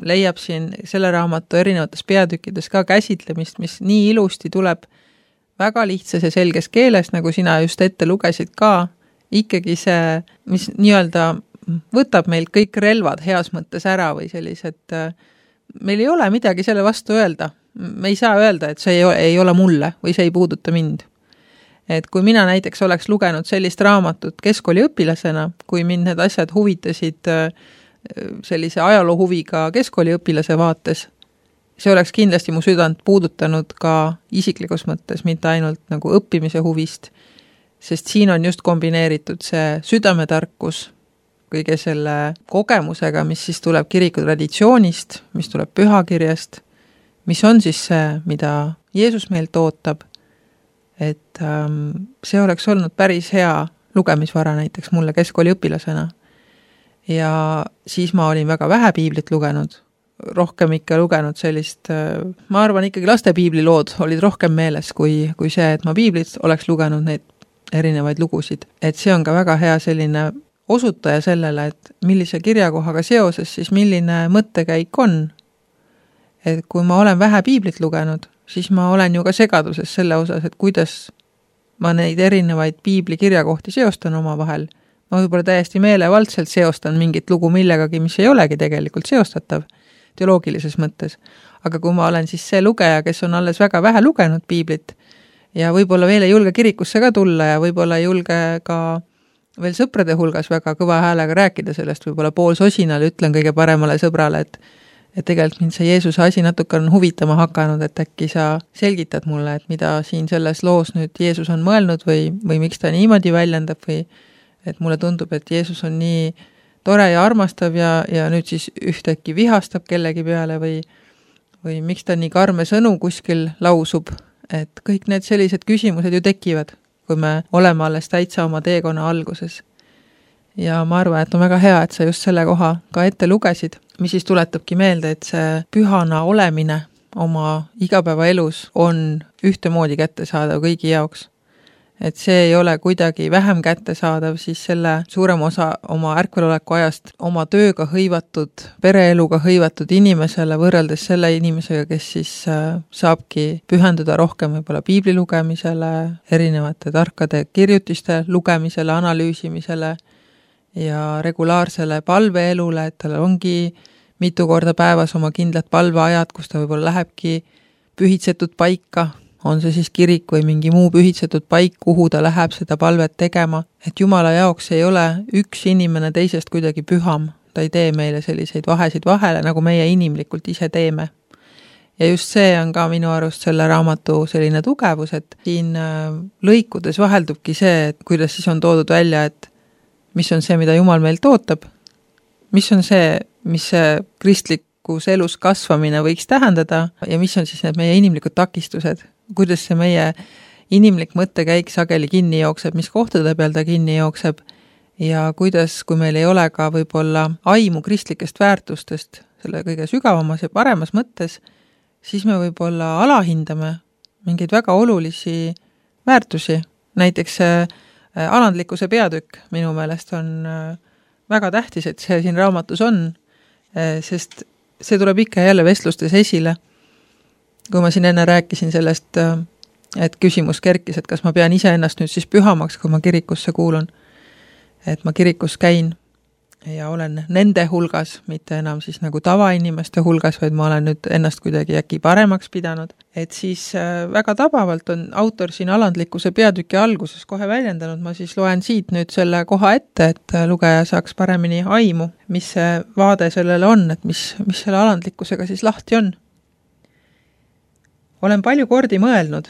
leiab siin selle raamatu erinevates peatükkides ka käsitlemist, mis nii ilusti tuleb väga lihtsas ja selges keeles, nagu sina just ette lugesid ka, ikkagi see, mis nii-öelda võtab meilt kõik relvad heas mõttes ära või sellised, meil ei ole midagi selle vastu öelda. Me ei saa öelda, et see ei ole mulle või see ei puuduta mind. Et kui mina näiteks oleks lugenud sellist raamatut keskkooliõpilasena, kui mind need asjad huvitasid sellise ajaloohuviga keskkooliõpilase vaates, see oleks kindlasti mu südant puudutanud ka isiklikus mõttes, mitte ainult nagu õppimise huvist, sest siin on just kombineeritud see südametarkus kõige selle kogemusega, mis siis tuleb kiriku traditsioonist, mis tuleb pühakirjast, mis on siis see, mida Jeesus meilt ootab, et see oleks olnud päris hea lugemisvara näiteks mulle keskkooliõpilasena. Ja siis ma olin väga vähe piiblit lugenud, rohkem ikka lugenud sellist, ma arvan ikkagi laste piiblilood olid rohkem meeles kui see, et ma piiblit oleks lugenud neid erinevaid lugusid. Et see on ka väga hea selline osutaja sellele, et millise kirjakohaga seoses siis milline mõttekäik on. Et kui ma olen vähe piiblit lugenud, siis ma olen ju ka segaduses selle osas, et kuidas ma neid erinevaid piibli kirjakohti seostan oma vahel. Ma võib-olla täiesti meelevaldselt seostan mingit lugu millegagi, mis ei olegi tegelikult seostatav teoloogilises mõttes. Aga kui ma olen siis see lugeja, kes on alles väga vähe lugenud piiblit ja võib-olla veel ei julge kirikusse ka tulla ja võib-olla ei julge ka veel sõprade hulgas väga kõva häälega rääkida sellest, võib-olla poolsosinal ütlen kõige paremale sõbrale, et tegelikult mind see Jeesuse asi natuke on huvitama hakanud, et äkki sa selgitad mulle, et mida siin selles loos nüüd Jeesus on mõelnud või miks ta niimoodi väljendab või et mulle tundub, et Jeesus on nii tore ja armastav ja nüüd siis ühtäkki vihastab kellegi peale või miks ta nii karme sõnu kuskil lausub, et kõik need sellised küsimused ju tekivad, kui me oleme alles täitsa oma teekonna alguses. Ja ma arvan, et on väga hea, et sa just selle koha ka ette lugesid, mis siis tuletabki meelde, et see pühana olemine oma igapäevaelus on ühtemoodi kättesaadav kõigi jaoks. Et see ei ole kuidagi vähem kättesaadav siis selle suurem osa oma ärkveloleku ajast oma tööga hõivatud, pereeluga hõivatud inimesele võrreldes selle inimesega, kes siis saabki pühenduda rohkem võib-olla piibli lugemisele, erinevate tarkade kirjutiste lugemisele, analüüsimisele ja regulaarsele palveelule, et tal ongi mitu korda päevas oma kindlad palveajad, kus ta võib-olla lähebki pühitsetud paika, on see siis kirik või mingi muu pühitsetud paik, kuhu ta läheb seda palvet tegema, et Jumala jaoks ei ole üks inimene teisest kuidagi püham, ta ei tee meile selliseid vahesid vahele, nagu meie inimlikult ise teeme. Ja just see on ka minu arust selle raamatu selline tugevus, et siin lõikudes vaheldubki see, et kuidas siis on toodud välja, et mis on see, mida Jumal meilt ootab, mis on see, mis see kristlikus elus kasvamine võiks tähendada ja mis on siis need meie inimlikud takistused, kuidas see meie inimlik mõttekäik sageli kinni jookseb, mis kohtade peal ta kinni jookseb ja kuidas, kui meil ei ole ka võib-olla aimu kristlikest väärtustest selle kõige sügavamas ja paremas mõttes, siis me võib-olla alahindame mingeid väga olulisi väärtusi. Näiteks alandlikkuse peatükk minu meelest on väga tähtis, et see siin raamatus on, sest see tuleb ikka jälle vestlustes esile. Kui ma siin enne rääkisin sellest, et küsimus kerkis, et kas ma pean ise ennast nüüd siis pühamaks, kui ma kirikusse kuulun, et ma kirikus käin ja olen nende hulgas, mitte enam siis nagu tavainimeste hulgas, vaid ma olen nüüd ennast kuidagi äkki paremaks pidanud, et siis väga tabavalt on autor siin alandlikkuse peatüki alguses kohe väljendanud, ma siis loen siit nüüd selle koha ette, et lugeja saaks paremini aimu, mis see vaade sellele on, et mis selle alandlikkusega siis lahti on. Olen palju kordi mõelnud,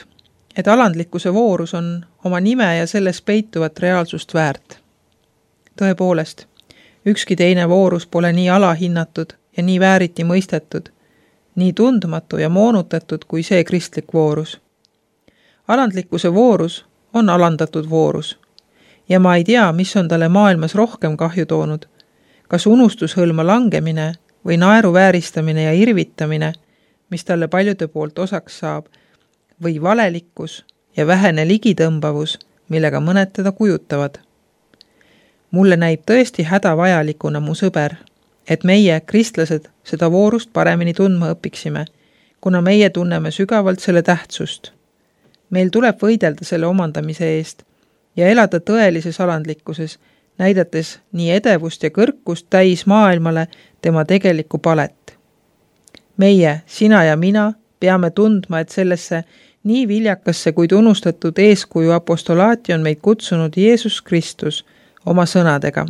et alandlikkuse voorus on oma nime ja selles peituvat reaalsust väärt. Tõepoolest, ükski teine voorus pole nii alahinnatud ja nii vääriti mõistetud, nii tundmatu ja moonutatud kui see kristlik voorus. Alandlikkuse voorus on alandatud voorus ja ma ei tea, mis on talle maailmas rohkem kahju toonud, kas unustushõlma langemine või naeru vääristamine ja irvitamine, mis talle paljude poolt osaks saab, või valelikkus ja vähene ligitõmbavus, millega mõned teda kujutavad. Mulle näib tõesti hädavajalikuna, mu sõber, et meie, kristlased, seda voorust paremini tundma õpiksime, kuna meie tunneme sügavalt selle tähtsust. Meil tuleb võidelda selle omandamise eest ja elada tõelises alandlikkuses, näidates nii edevust ja kõrkust täis maailmale tema tegelikku palet. Meie, sina ja mina, peame tundma, et sellesse nii viljakasse kuid unustatud eeskuju apostolaati on meid kutsunud Jeesus Kristus oma sõnadega.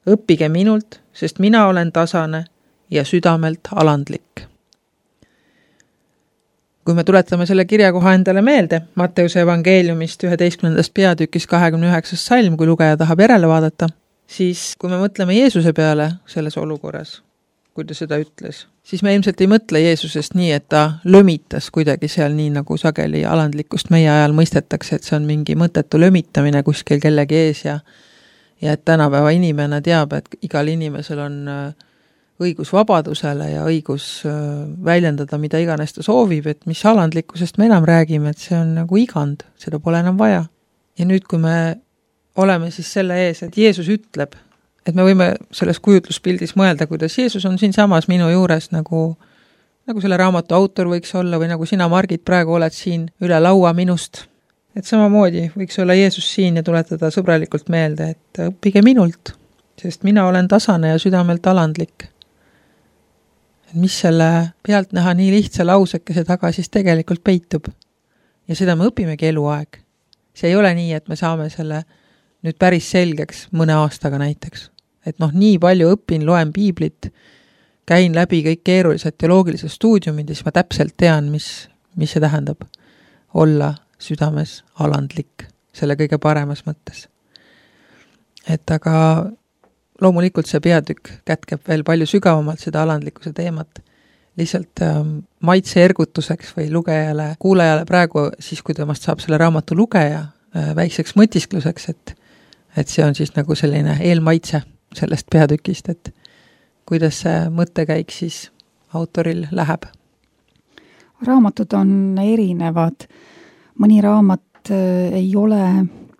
Õppige minult, sest mina olen tasane ja südamelt alandlik. Kui me tuletame selle kirjakoha endale meelde, Matteuse evangeeliumist 11. peatükis 29. salm, kui lugeja tahab järele vaadata, siis kui me mõtleme Jeesuse peale selles olukorras, kui ta seda ütles, siis me ilmselt ei mõtle Jeesusest nii, et ta lömitas kuidagi seal nii, nagu sageli alandlikkust meie ajal mõistetakse, et see on mingi mõttetu lömitamine kuskil kellegi ees ja et tänapäeva inimene teab, et igal inimesel on õigus vabadusele ja õigus väljendada, mida iganes ta soovib, et mis alandlikkusest me enam räägime, et see on nagu igand, seda pole enam vaja. Ja nüüd, kui me oleme siis selle ees, et Jeesus ütleb, et me võime selles kujutluspildis mõelda, kuidas Jeesus on siin samas minu juures, nagu selle raamatu autor võiks olla või nagu sina, Margit, praegu oled siin üle laua minust. Et samamoodi võiks olla Jeesus siin ja tuletada sõbralikult meelde, et õppige minult, sest mina olen tasane ja südamelt alandlik. Et mis selle pealt näha nii lihtsa lausekese taga siis tegelikult peitub. Ja seda me õpimegi eluaeg. See ei ole nii, et me saame selle nüüd päris selgeks mõne aastaga näiteks. Et nii palju õpin, loen piiblit, käin läbi kõik keerulised teoloogilised stuudiumid ja siis ma täpselt tean, mis see tähendab olla südames alandlik selle kõige paremas mõttes. Et aga loomulikult see peatükk kätkeb veel palju sügavamalt seda alandlikkuse teemat. Lihtsalt maitse ergutuseks või lugejale, kuulajale praegu siis, kui temast saab selle raamatu lugeja väikseks mõtiskluseks, et see on siis nagu selline eelmaitse sellest peatükist, et kuidas see mõttekäik siis autoril läheb. Raamatud on erinevad. Mõni raamat ei ole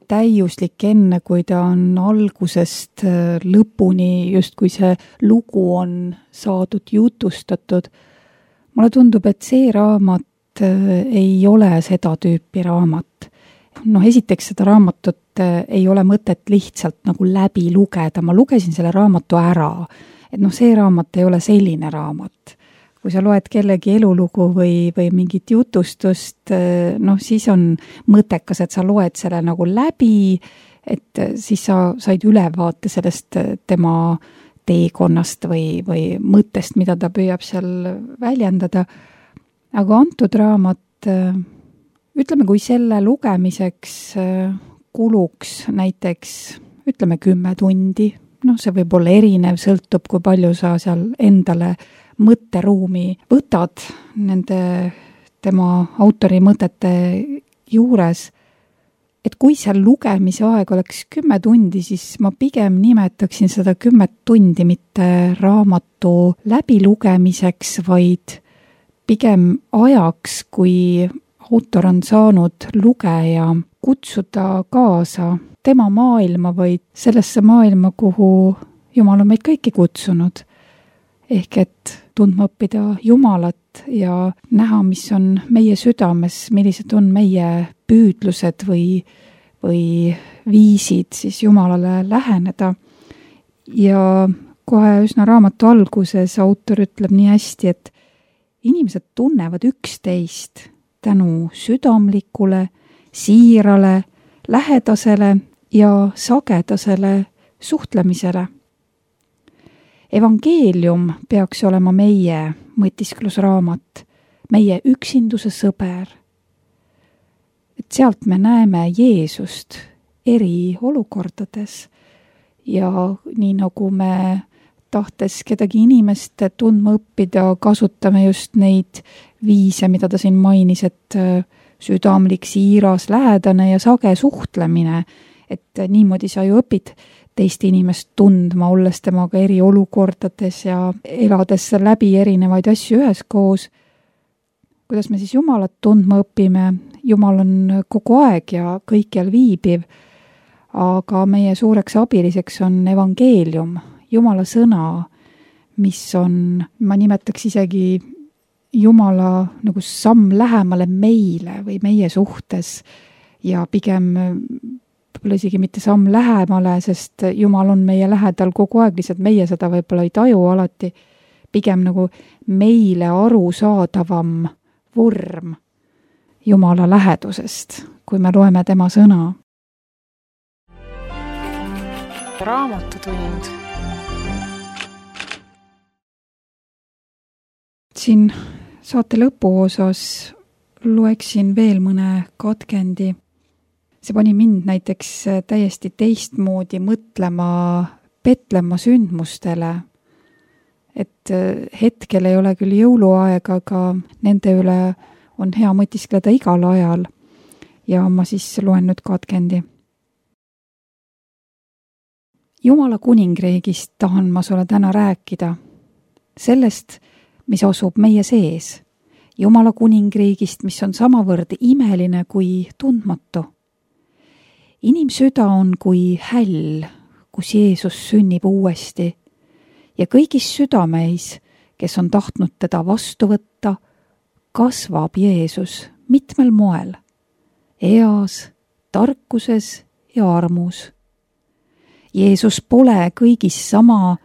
täiuslik enne, kui ta on algusest lõpuni, just kui see lugu on saadud jutustatud. Mulle tundub, et see raamat ei ole seda tüüpi raamat. Esiteks seda raamatut ei ole mõtet lihtsalt nagu läbi lugeda. Ma lugesin selle raamatu ära. Et see raamat ei ole selline raamat. Kui sa loed kellegi elulugu või mingit jutustust, siis on mõttekas, et sa loed selle nagu läbi, et siis sa said ülevaate sellest tema teekonnast või mõttest, mida ta püüab seal väljendada. Aga antud raamat, ütleme, kui selle lugemiseks kuluks näiteks, 10 tundi, see võib olla erinev, sõltub, kui palju sa seal endale mõtteruumi võtad nende tema autori mõtete juures, et kui seal lugemise aeg oleks 10 tundi, siis ma pigem nimetaksin seda 10 tundi mitte raamatu läbilugemiseks, vaid pigem ajaks, kui autor on saanud lugeja kutsuda kaasa tema maailma või sellesse maailma, kuhu Jumal on meid kõiki kutsunud. Ehk et tundma õppida Jumalat ja näha, mis on meie südames, millised on meie püüdlused või viisid siis Jumalale läheneda. Ja kohe üsna raamatu alguses autor ütleb nii hästi, et inimesed tunnevad üksteist tänu südamlikule, siirale, lähedasele ja sagedasele suhtlemisele. Evangeelium peaks olema meie mõtisklusraamat, meie üksinduse sõber. Et sealt me näeme Jeesust eri olukordades ja nii nagu me tahtes kedagi inimest tundma õppida, kasutame just neid viise, mida ta siin mainis, et südamlik, siiras, lähedane ja sage suhtlemine, et niimoodi sa ju õpid teist inimest tundma, olles temaga eri olukordades ja elades läbi erinevaid asju üheskoos. Kuidas me siis Jumalat tundma õpime? Jumal on kogu aeg ja kõikjal viibiv, aga meie suureks abiliseks on evangeelium, Jumala sõna, mis on, ma nimetaks isegi Jumala nagu samm lähemale meile või meie suhtes ja pigem võib-olla isegi mitte samm lähemale, sest Jumal on meie lähedal kogu aeg, lihtsalt meie seda võib-olla ei taju alati, pigem nagu meile arusaadavam vorm Jumala lähedusest, kui me loeme tema sõna. Raamatutund. Siin saate lõpuosas loeksin veel mõne katkendi. See pani mind näiteks täiesti teistmoodi mõtlema Petlemma sündmustele, et hetkel ei ole küll jõuluaeg, aga nende üle on hea mõtiskleda igal ajal ja ma siis loen nüüd katkendi. Jumala kuningriigist tahan ma sulle täna rääkida, sellest, mis asub meie sees, Jumala kuningriigist, mis on samavõrd imeline kui tundmatu. Inimsüda on kui häll, kus Jeesus sünnib uuesti ja kõigis südameis, kes on tahtnud teda vastu võtta, kasvab Jeesus mitmel moel, eas, tarkuses ja armus. Jeesus pole kõigis sama,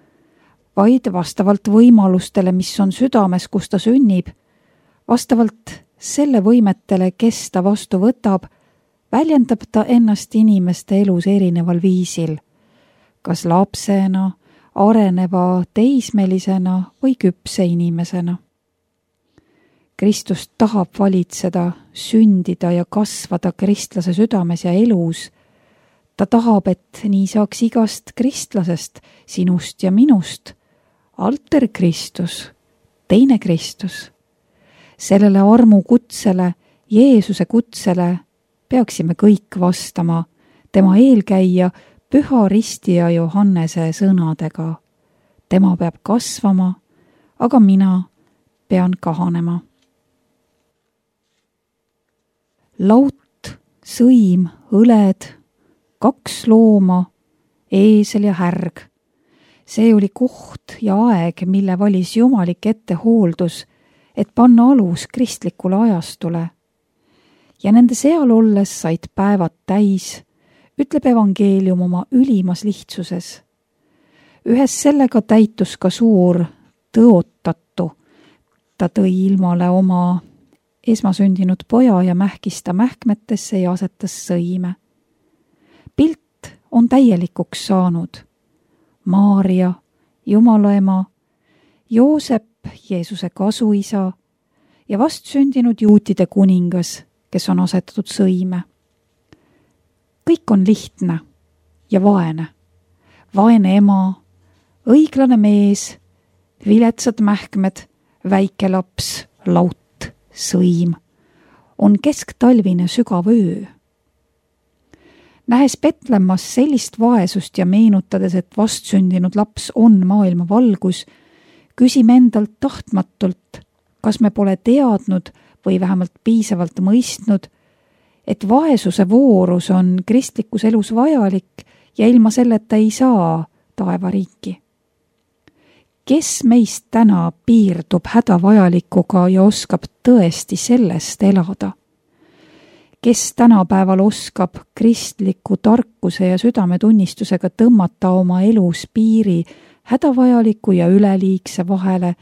vaid vastavalt võimalustele, mis on südames, kus ta sünnib, vastavalt selle võimetele, kes ta vastu võtab, väljendab ta ennast inimeste elus erineval viisil, kas lapsena, areneva teismelisena või küpse inimesena. Kristus tahab valitseda, sündida ja kasvada kristlase südames ja elus. Ta tahab, et nii saaks igast kristlasest, sinust ja minust, alter Kristus, teine Kristus. Sellele armu kutsele, Jeesuse kutsele peaksime kõik vastama tema eelkäija Püha Ristija Johannese sõnadega. Tema peab kasvama, aga mina pean kahanema. Laut, sõim, õled, 2 looma, eesel ja härg. See oli koht ja aeg, mille valis jumalik ettehooldus, et panna alus kristlikule ajastule. Ja nende seal olles said päevad täis, ütleb evangeelium oma ülimas lihtsuses. Ühes sellega täitus ka suur tõotatu. Ta tõi ilmale oma esmasündinud poja ja mähkis ta mähkmetesse ja asetas sõime. Pilt on täielikuks saanud. Maaria, Jumala ema, Joosep, Jeesuse kasuisa ja vastsündinud juutide kuningas, kes on asetatud sõime. Kõik on lihtne ja vaene. Vaene ema, õiglane mees, viletsad mähkmed, väike laps, laut, sõim. On kesktalvine sügav öö. Nähes Petlemmas sellist vaesust ja meenutades, et vastsündinud laps on maailma valgus, küsime endalt tahtmatult, kas me pole teadnud või vähemalt piisavalt mõistnud, et vaesuse voorus on kristlikus elus vajalik ja ilma selleta ei saa taevariiki. Kes meist täna piirdub hädavajalikuga ja oskab tõesti sellest elada? Kes tänapäeval oskab kristliku tarkuse ja südametunnistusega tõmmata oma elus piiri hädavajaliku ja üleliigse vahele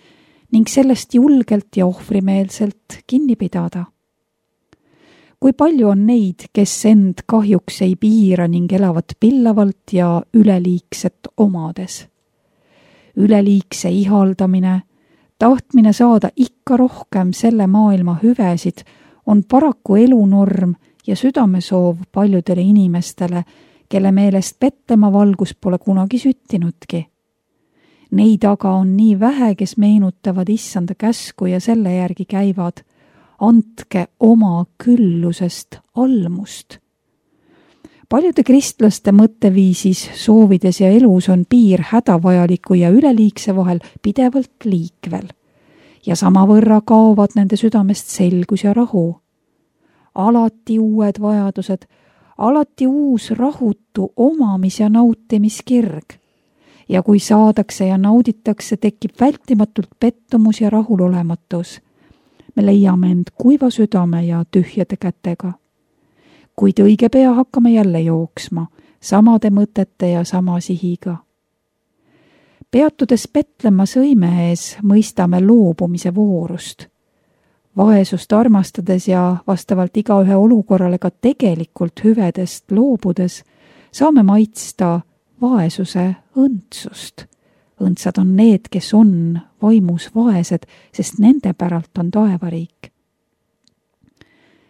ning sellest julgelt ja ohvrimeelselt kinni pidada? Kui palju on neid, kes end kahjuks ei piira ning elavad pillavalt ja üleliigset omades? Üleliigse ihaldamine, tahtmine saada ikka rohkem selle maailma hüvesid on paraku elunorm ja südamesoov paljudele inimestele, kelle meelest Petlemma valgus pole kunagi süttinudki. Neid aga on nii vähe, kes meenutavad issanda käsku ja selle järgi käivad. Andke oma küllusest almust. Paljude kristlaste mõtteviisis, soovides ja elus on piir hädavajaliku ja üleliigse vahel pidevalt liikvel ja samavõrra kaovad nende südamest selgus ja rahu. Alati uued vajadused, alati uus rahutu omamis- ja nautimiskirg. Ja kui saadakse ja nauditakse, tekib vältimatult pettumus ja rahulolematus. Me leiame end kuiva südame ja tühjade kätega. Kuid õige pea hakkame jälle jooksma, samade mõtete ja sama sihiga. Peatudes Petlemma sõime ees, mõistame loobumise voorust. Vaesust armastades ja vastavalt igaühe olukorrale ka tegelikult hüvedest loobudes, saame maitsta vaesuse õndsust. Õndsad on need, kes on vaimus vaesed, sest nende päralt on taevariik.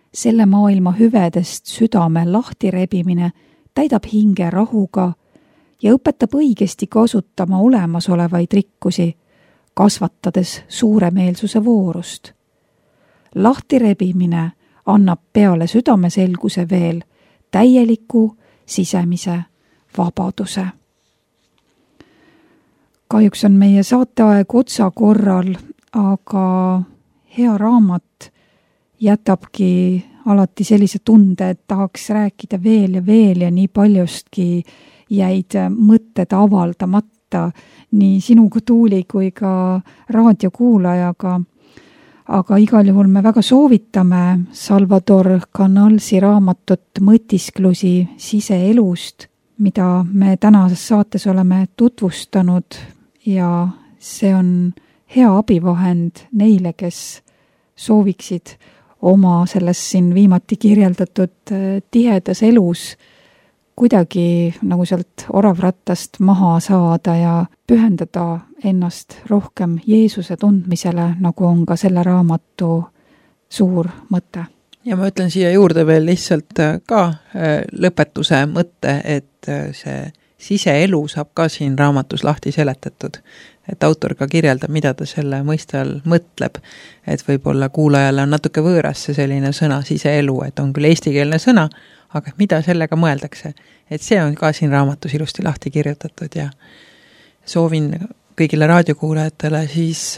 Selle maailma hüvedest südame lahtirebimine täidab hinge rahuga ja õpetab õigesti kasutama olemasolevaid rikkusi, kasvatades suuremeelsuse voorust. Lahtirebimine annab peale südameselguse veel täieliku sisemise vabaduse. Kahjuks on meie saateaeg otsakorral, aga hea raamat jätabki alati sellise tunde, et tahaks rääkida veel ja nii paljustki jäid mõtted avaldamata nii sinuga, Tuuli, kui ka raadiokuulajaga. Aga igal juhul me väga soovitame Salvador Canalsi raamatut Mõtisklusi siseelust, mida me tänases saates oleme tutvustanud ja see on hea abivahend neile, kes sooviksid oma selles siin viimati kirjeldatud tihedas elus kuidagi nagu sealt oravrattast maha saada ja pühendada ennast rohkem Jeesuse tundmisele, nagu on ka selle raamatu suur mõte. Ja ma ütlen siia juurde veel lihtsalt ka lõpetuse mõtte, et see siseelu saab ka siin raamatus lahti seletatud. Et autor ka kirjeldab, mida ta selle mõiste all mõtleb. Et võib-olla kuulajale on natuke võõras see selline sõna siseelu, et on küll eestikeelne sõna, aga mida sellega mõeldakse. Et see on ka siin raamatus ilusti lahti kirjutatud ja soovin kõigile raadiokuulajatele siis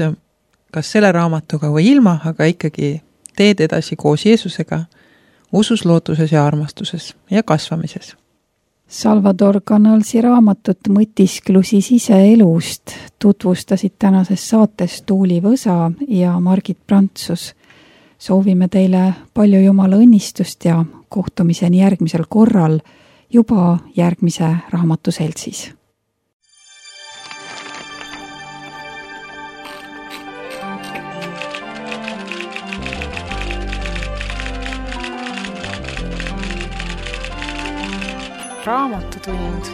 kas selle raamatuga või ilma, aga ikkagi teed edasi koos Jeesusega, usus, lootuses ja armastuses ja kasvamises. Salvador Canalsi raamatut Mõtisklusi siseelust tutvustasid tänases saates Tuuli Võsa ja Margit Prantsus. Soovime teile palju Jumala õnnistust ja kohtumiseni järgmisel korral juba järgmise raamatuseltsis. Raamatutund.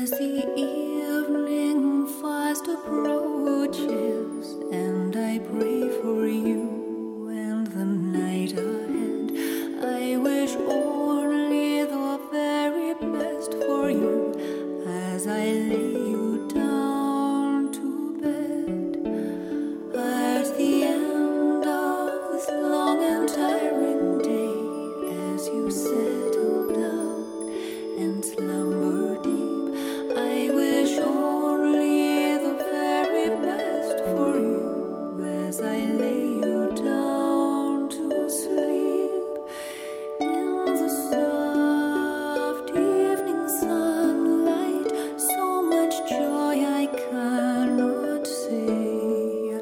As the evening fast approaches, and I pray for you and the night ahead, I wish only the very best for you as I lay you down to bed. At the end of this long and tiring day, as you settle down and slumber deep, I wish only the very best for you as I lay you down to sleep. In the soft evening sunlight, so much joy I cannot say,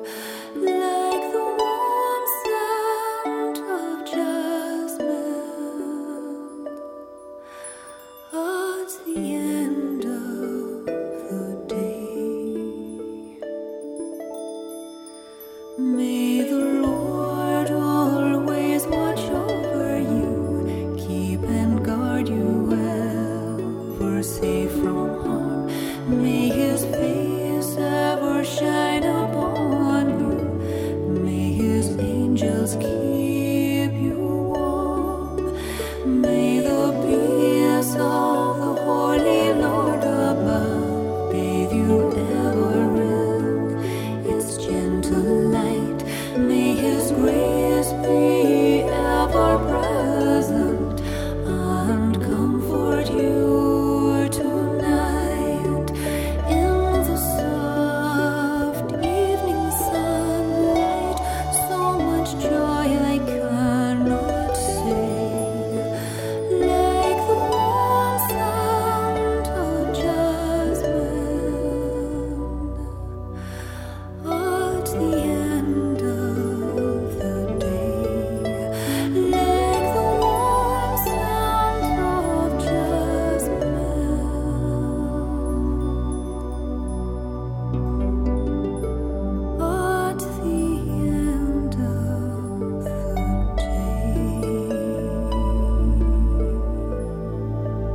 like the warm scent of jasmine at the end of the day. May the Lord always watch over you, keep and guard you ever safe from harm. May His face ever shine upon you, may His angels keep you warm. May the peace of the Holy Lord above bathe you ever in its gentle light. May His grace be ever present and comfort you tonight. In the soft evening sunlight, so much joy I cannot say, like the warm scent of jasmine at the end of the day, like the warm scent of jasmine at the end of the day.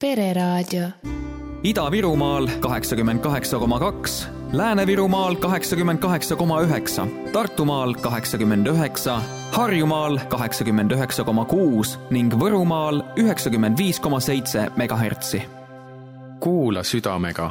Pereraadio. Ida-Virumaal 88,2, Lääne-Virumaal 88,9, Tartumaal 89, Harjumaal 89,6 ning Võrumaal 95,7 MHz. Kuula südamega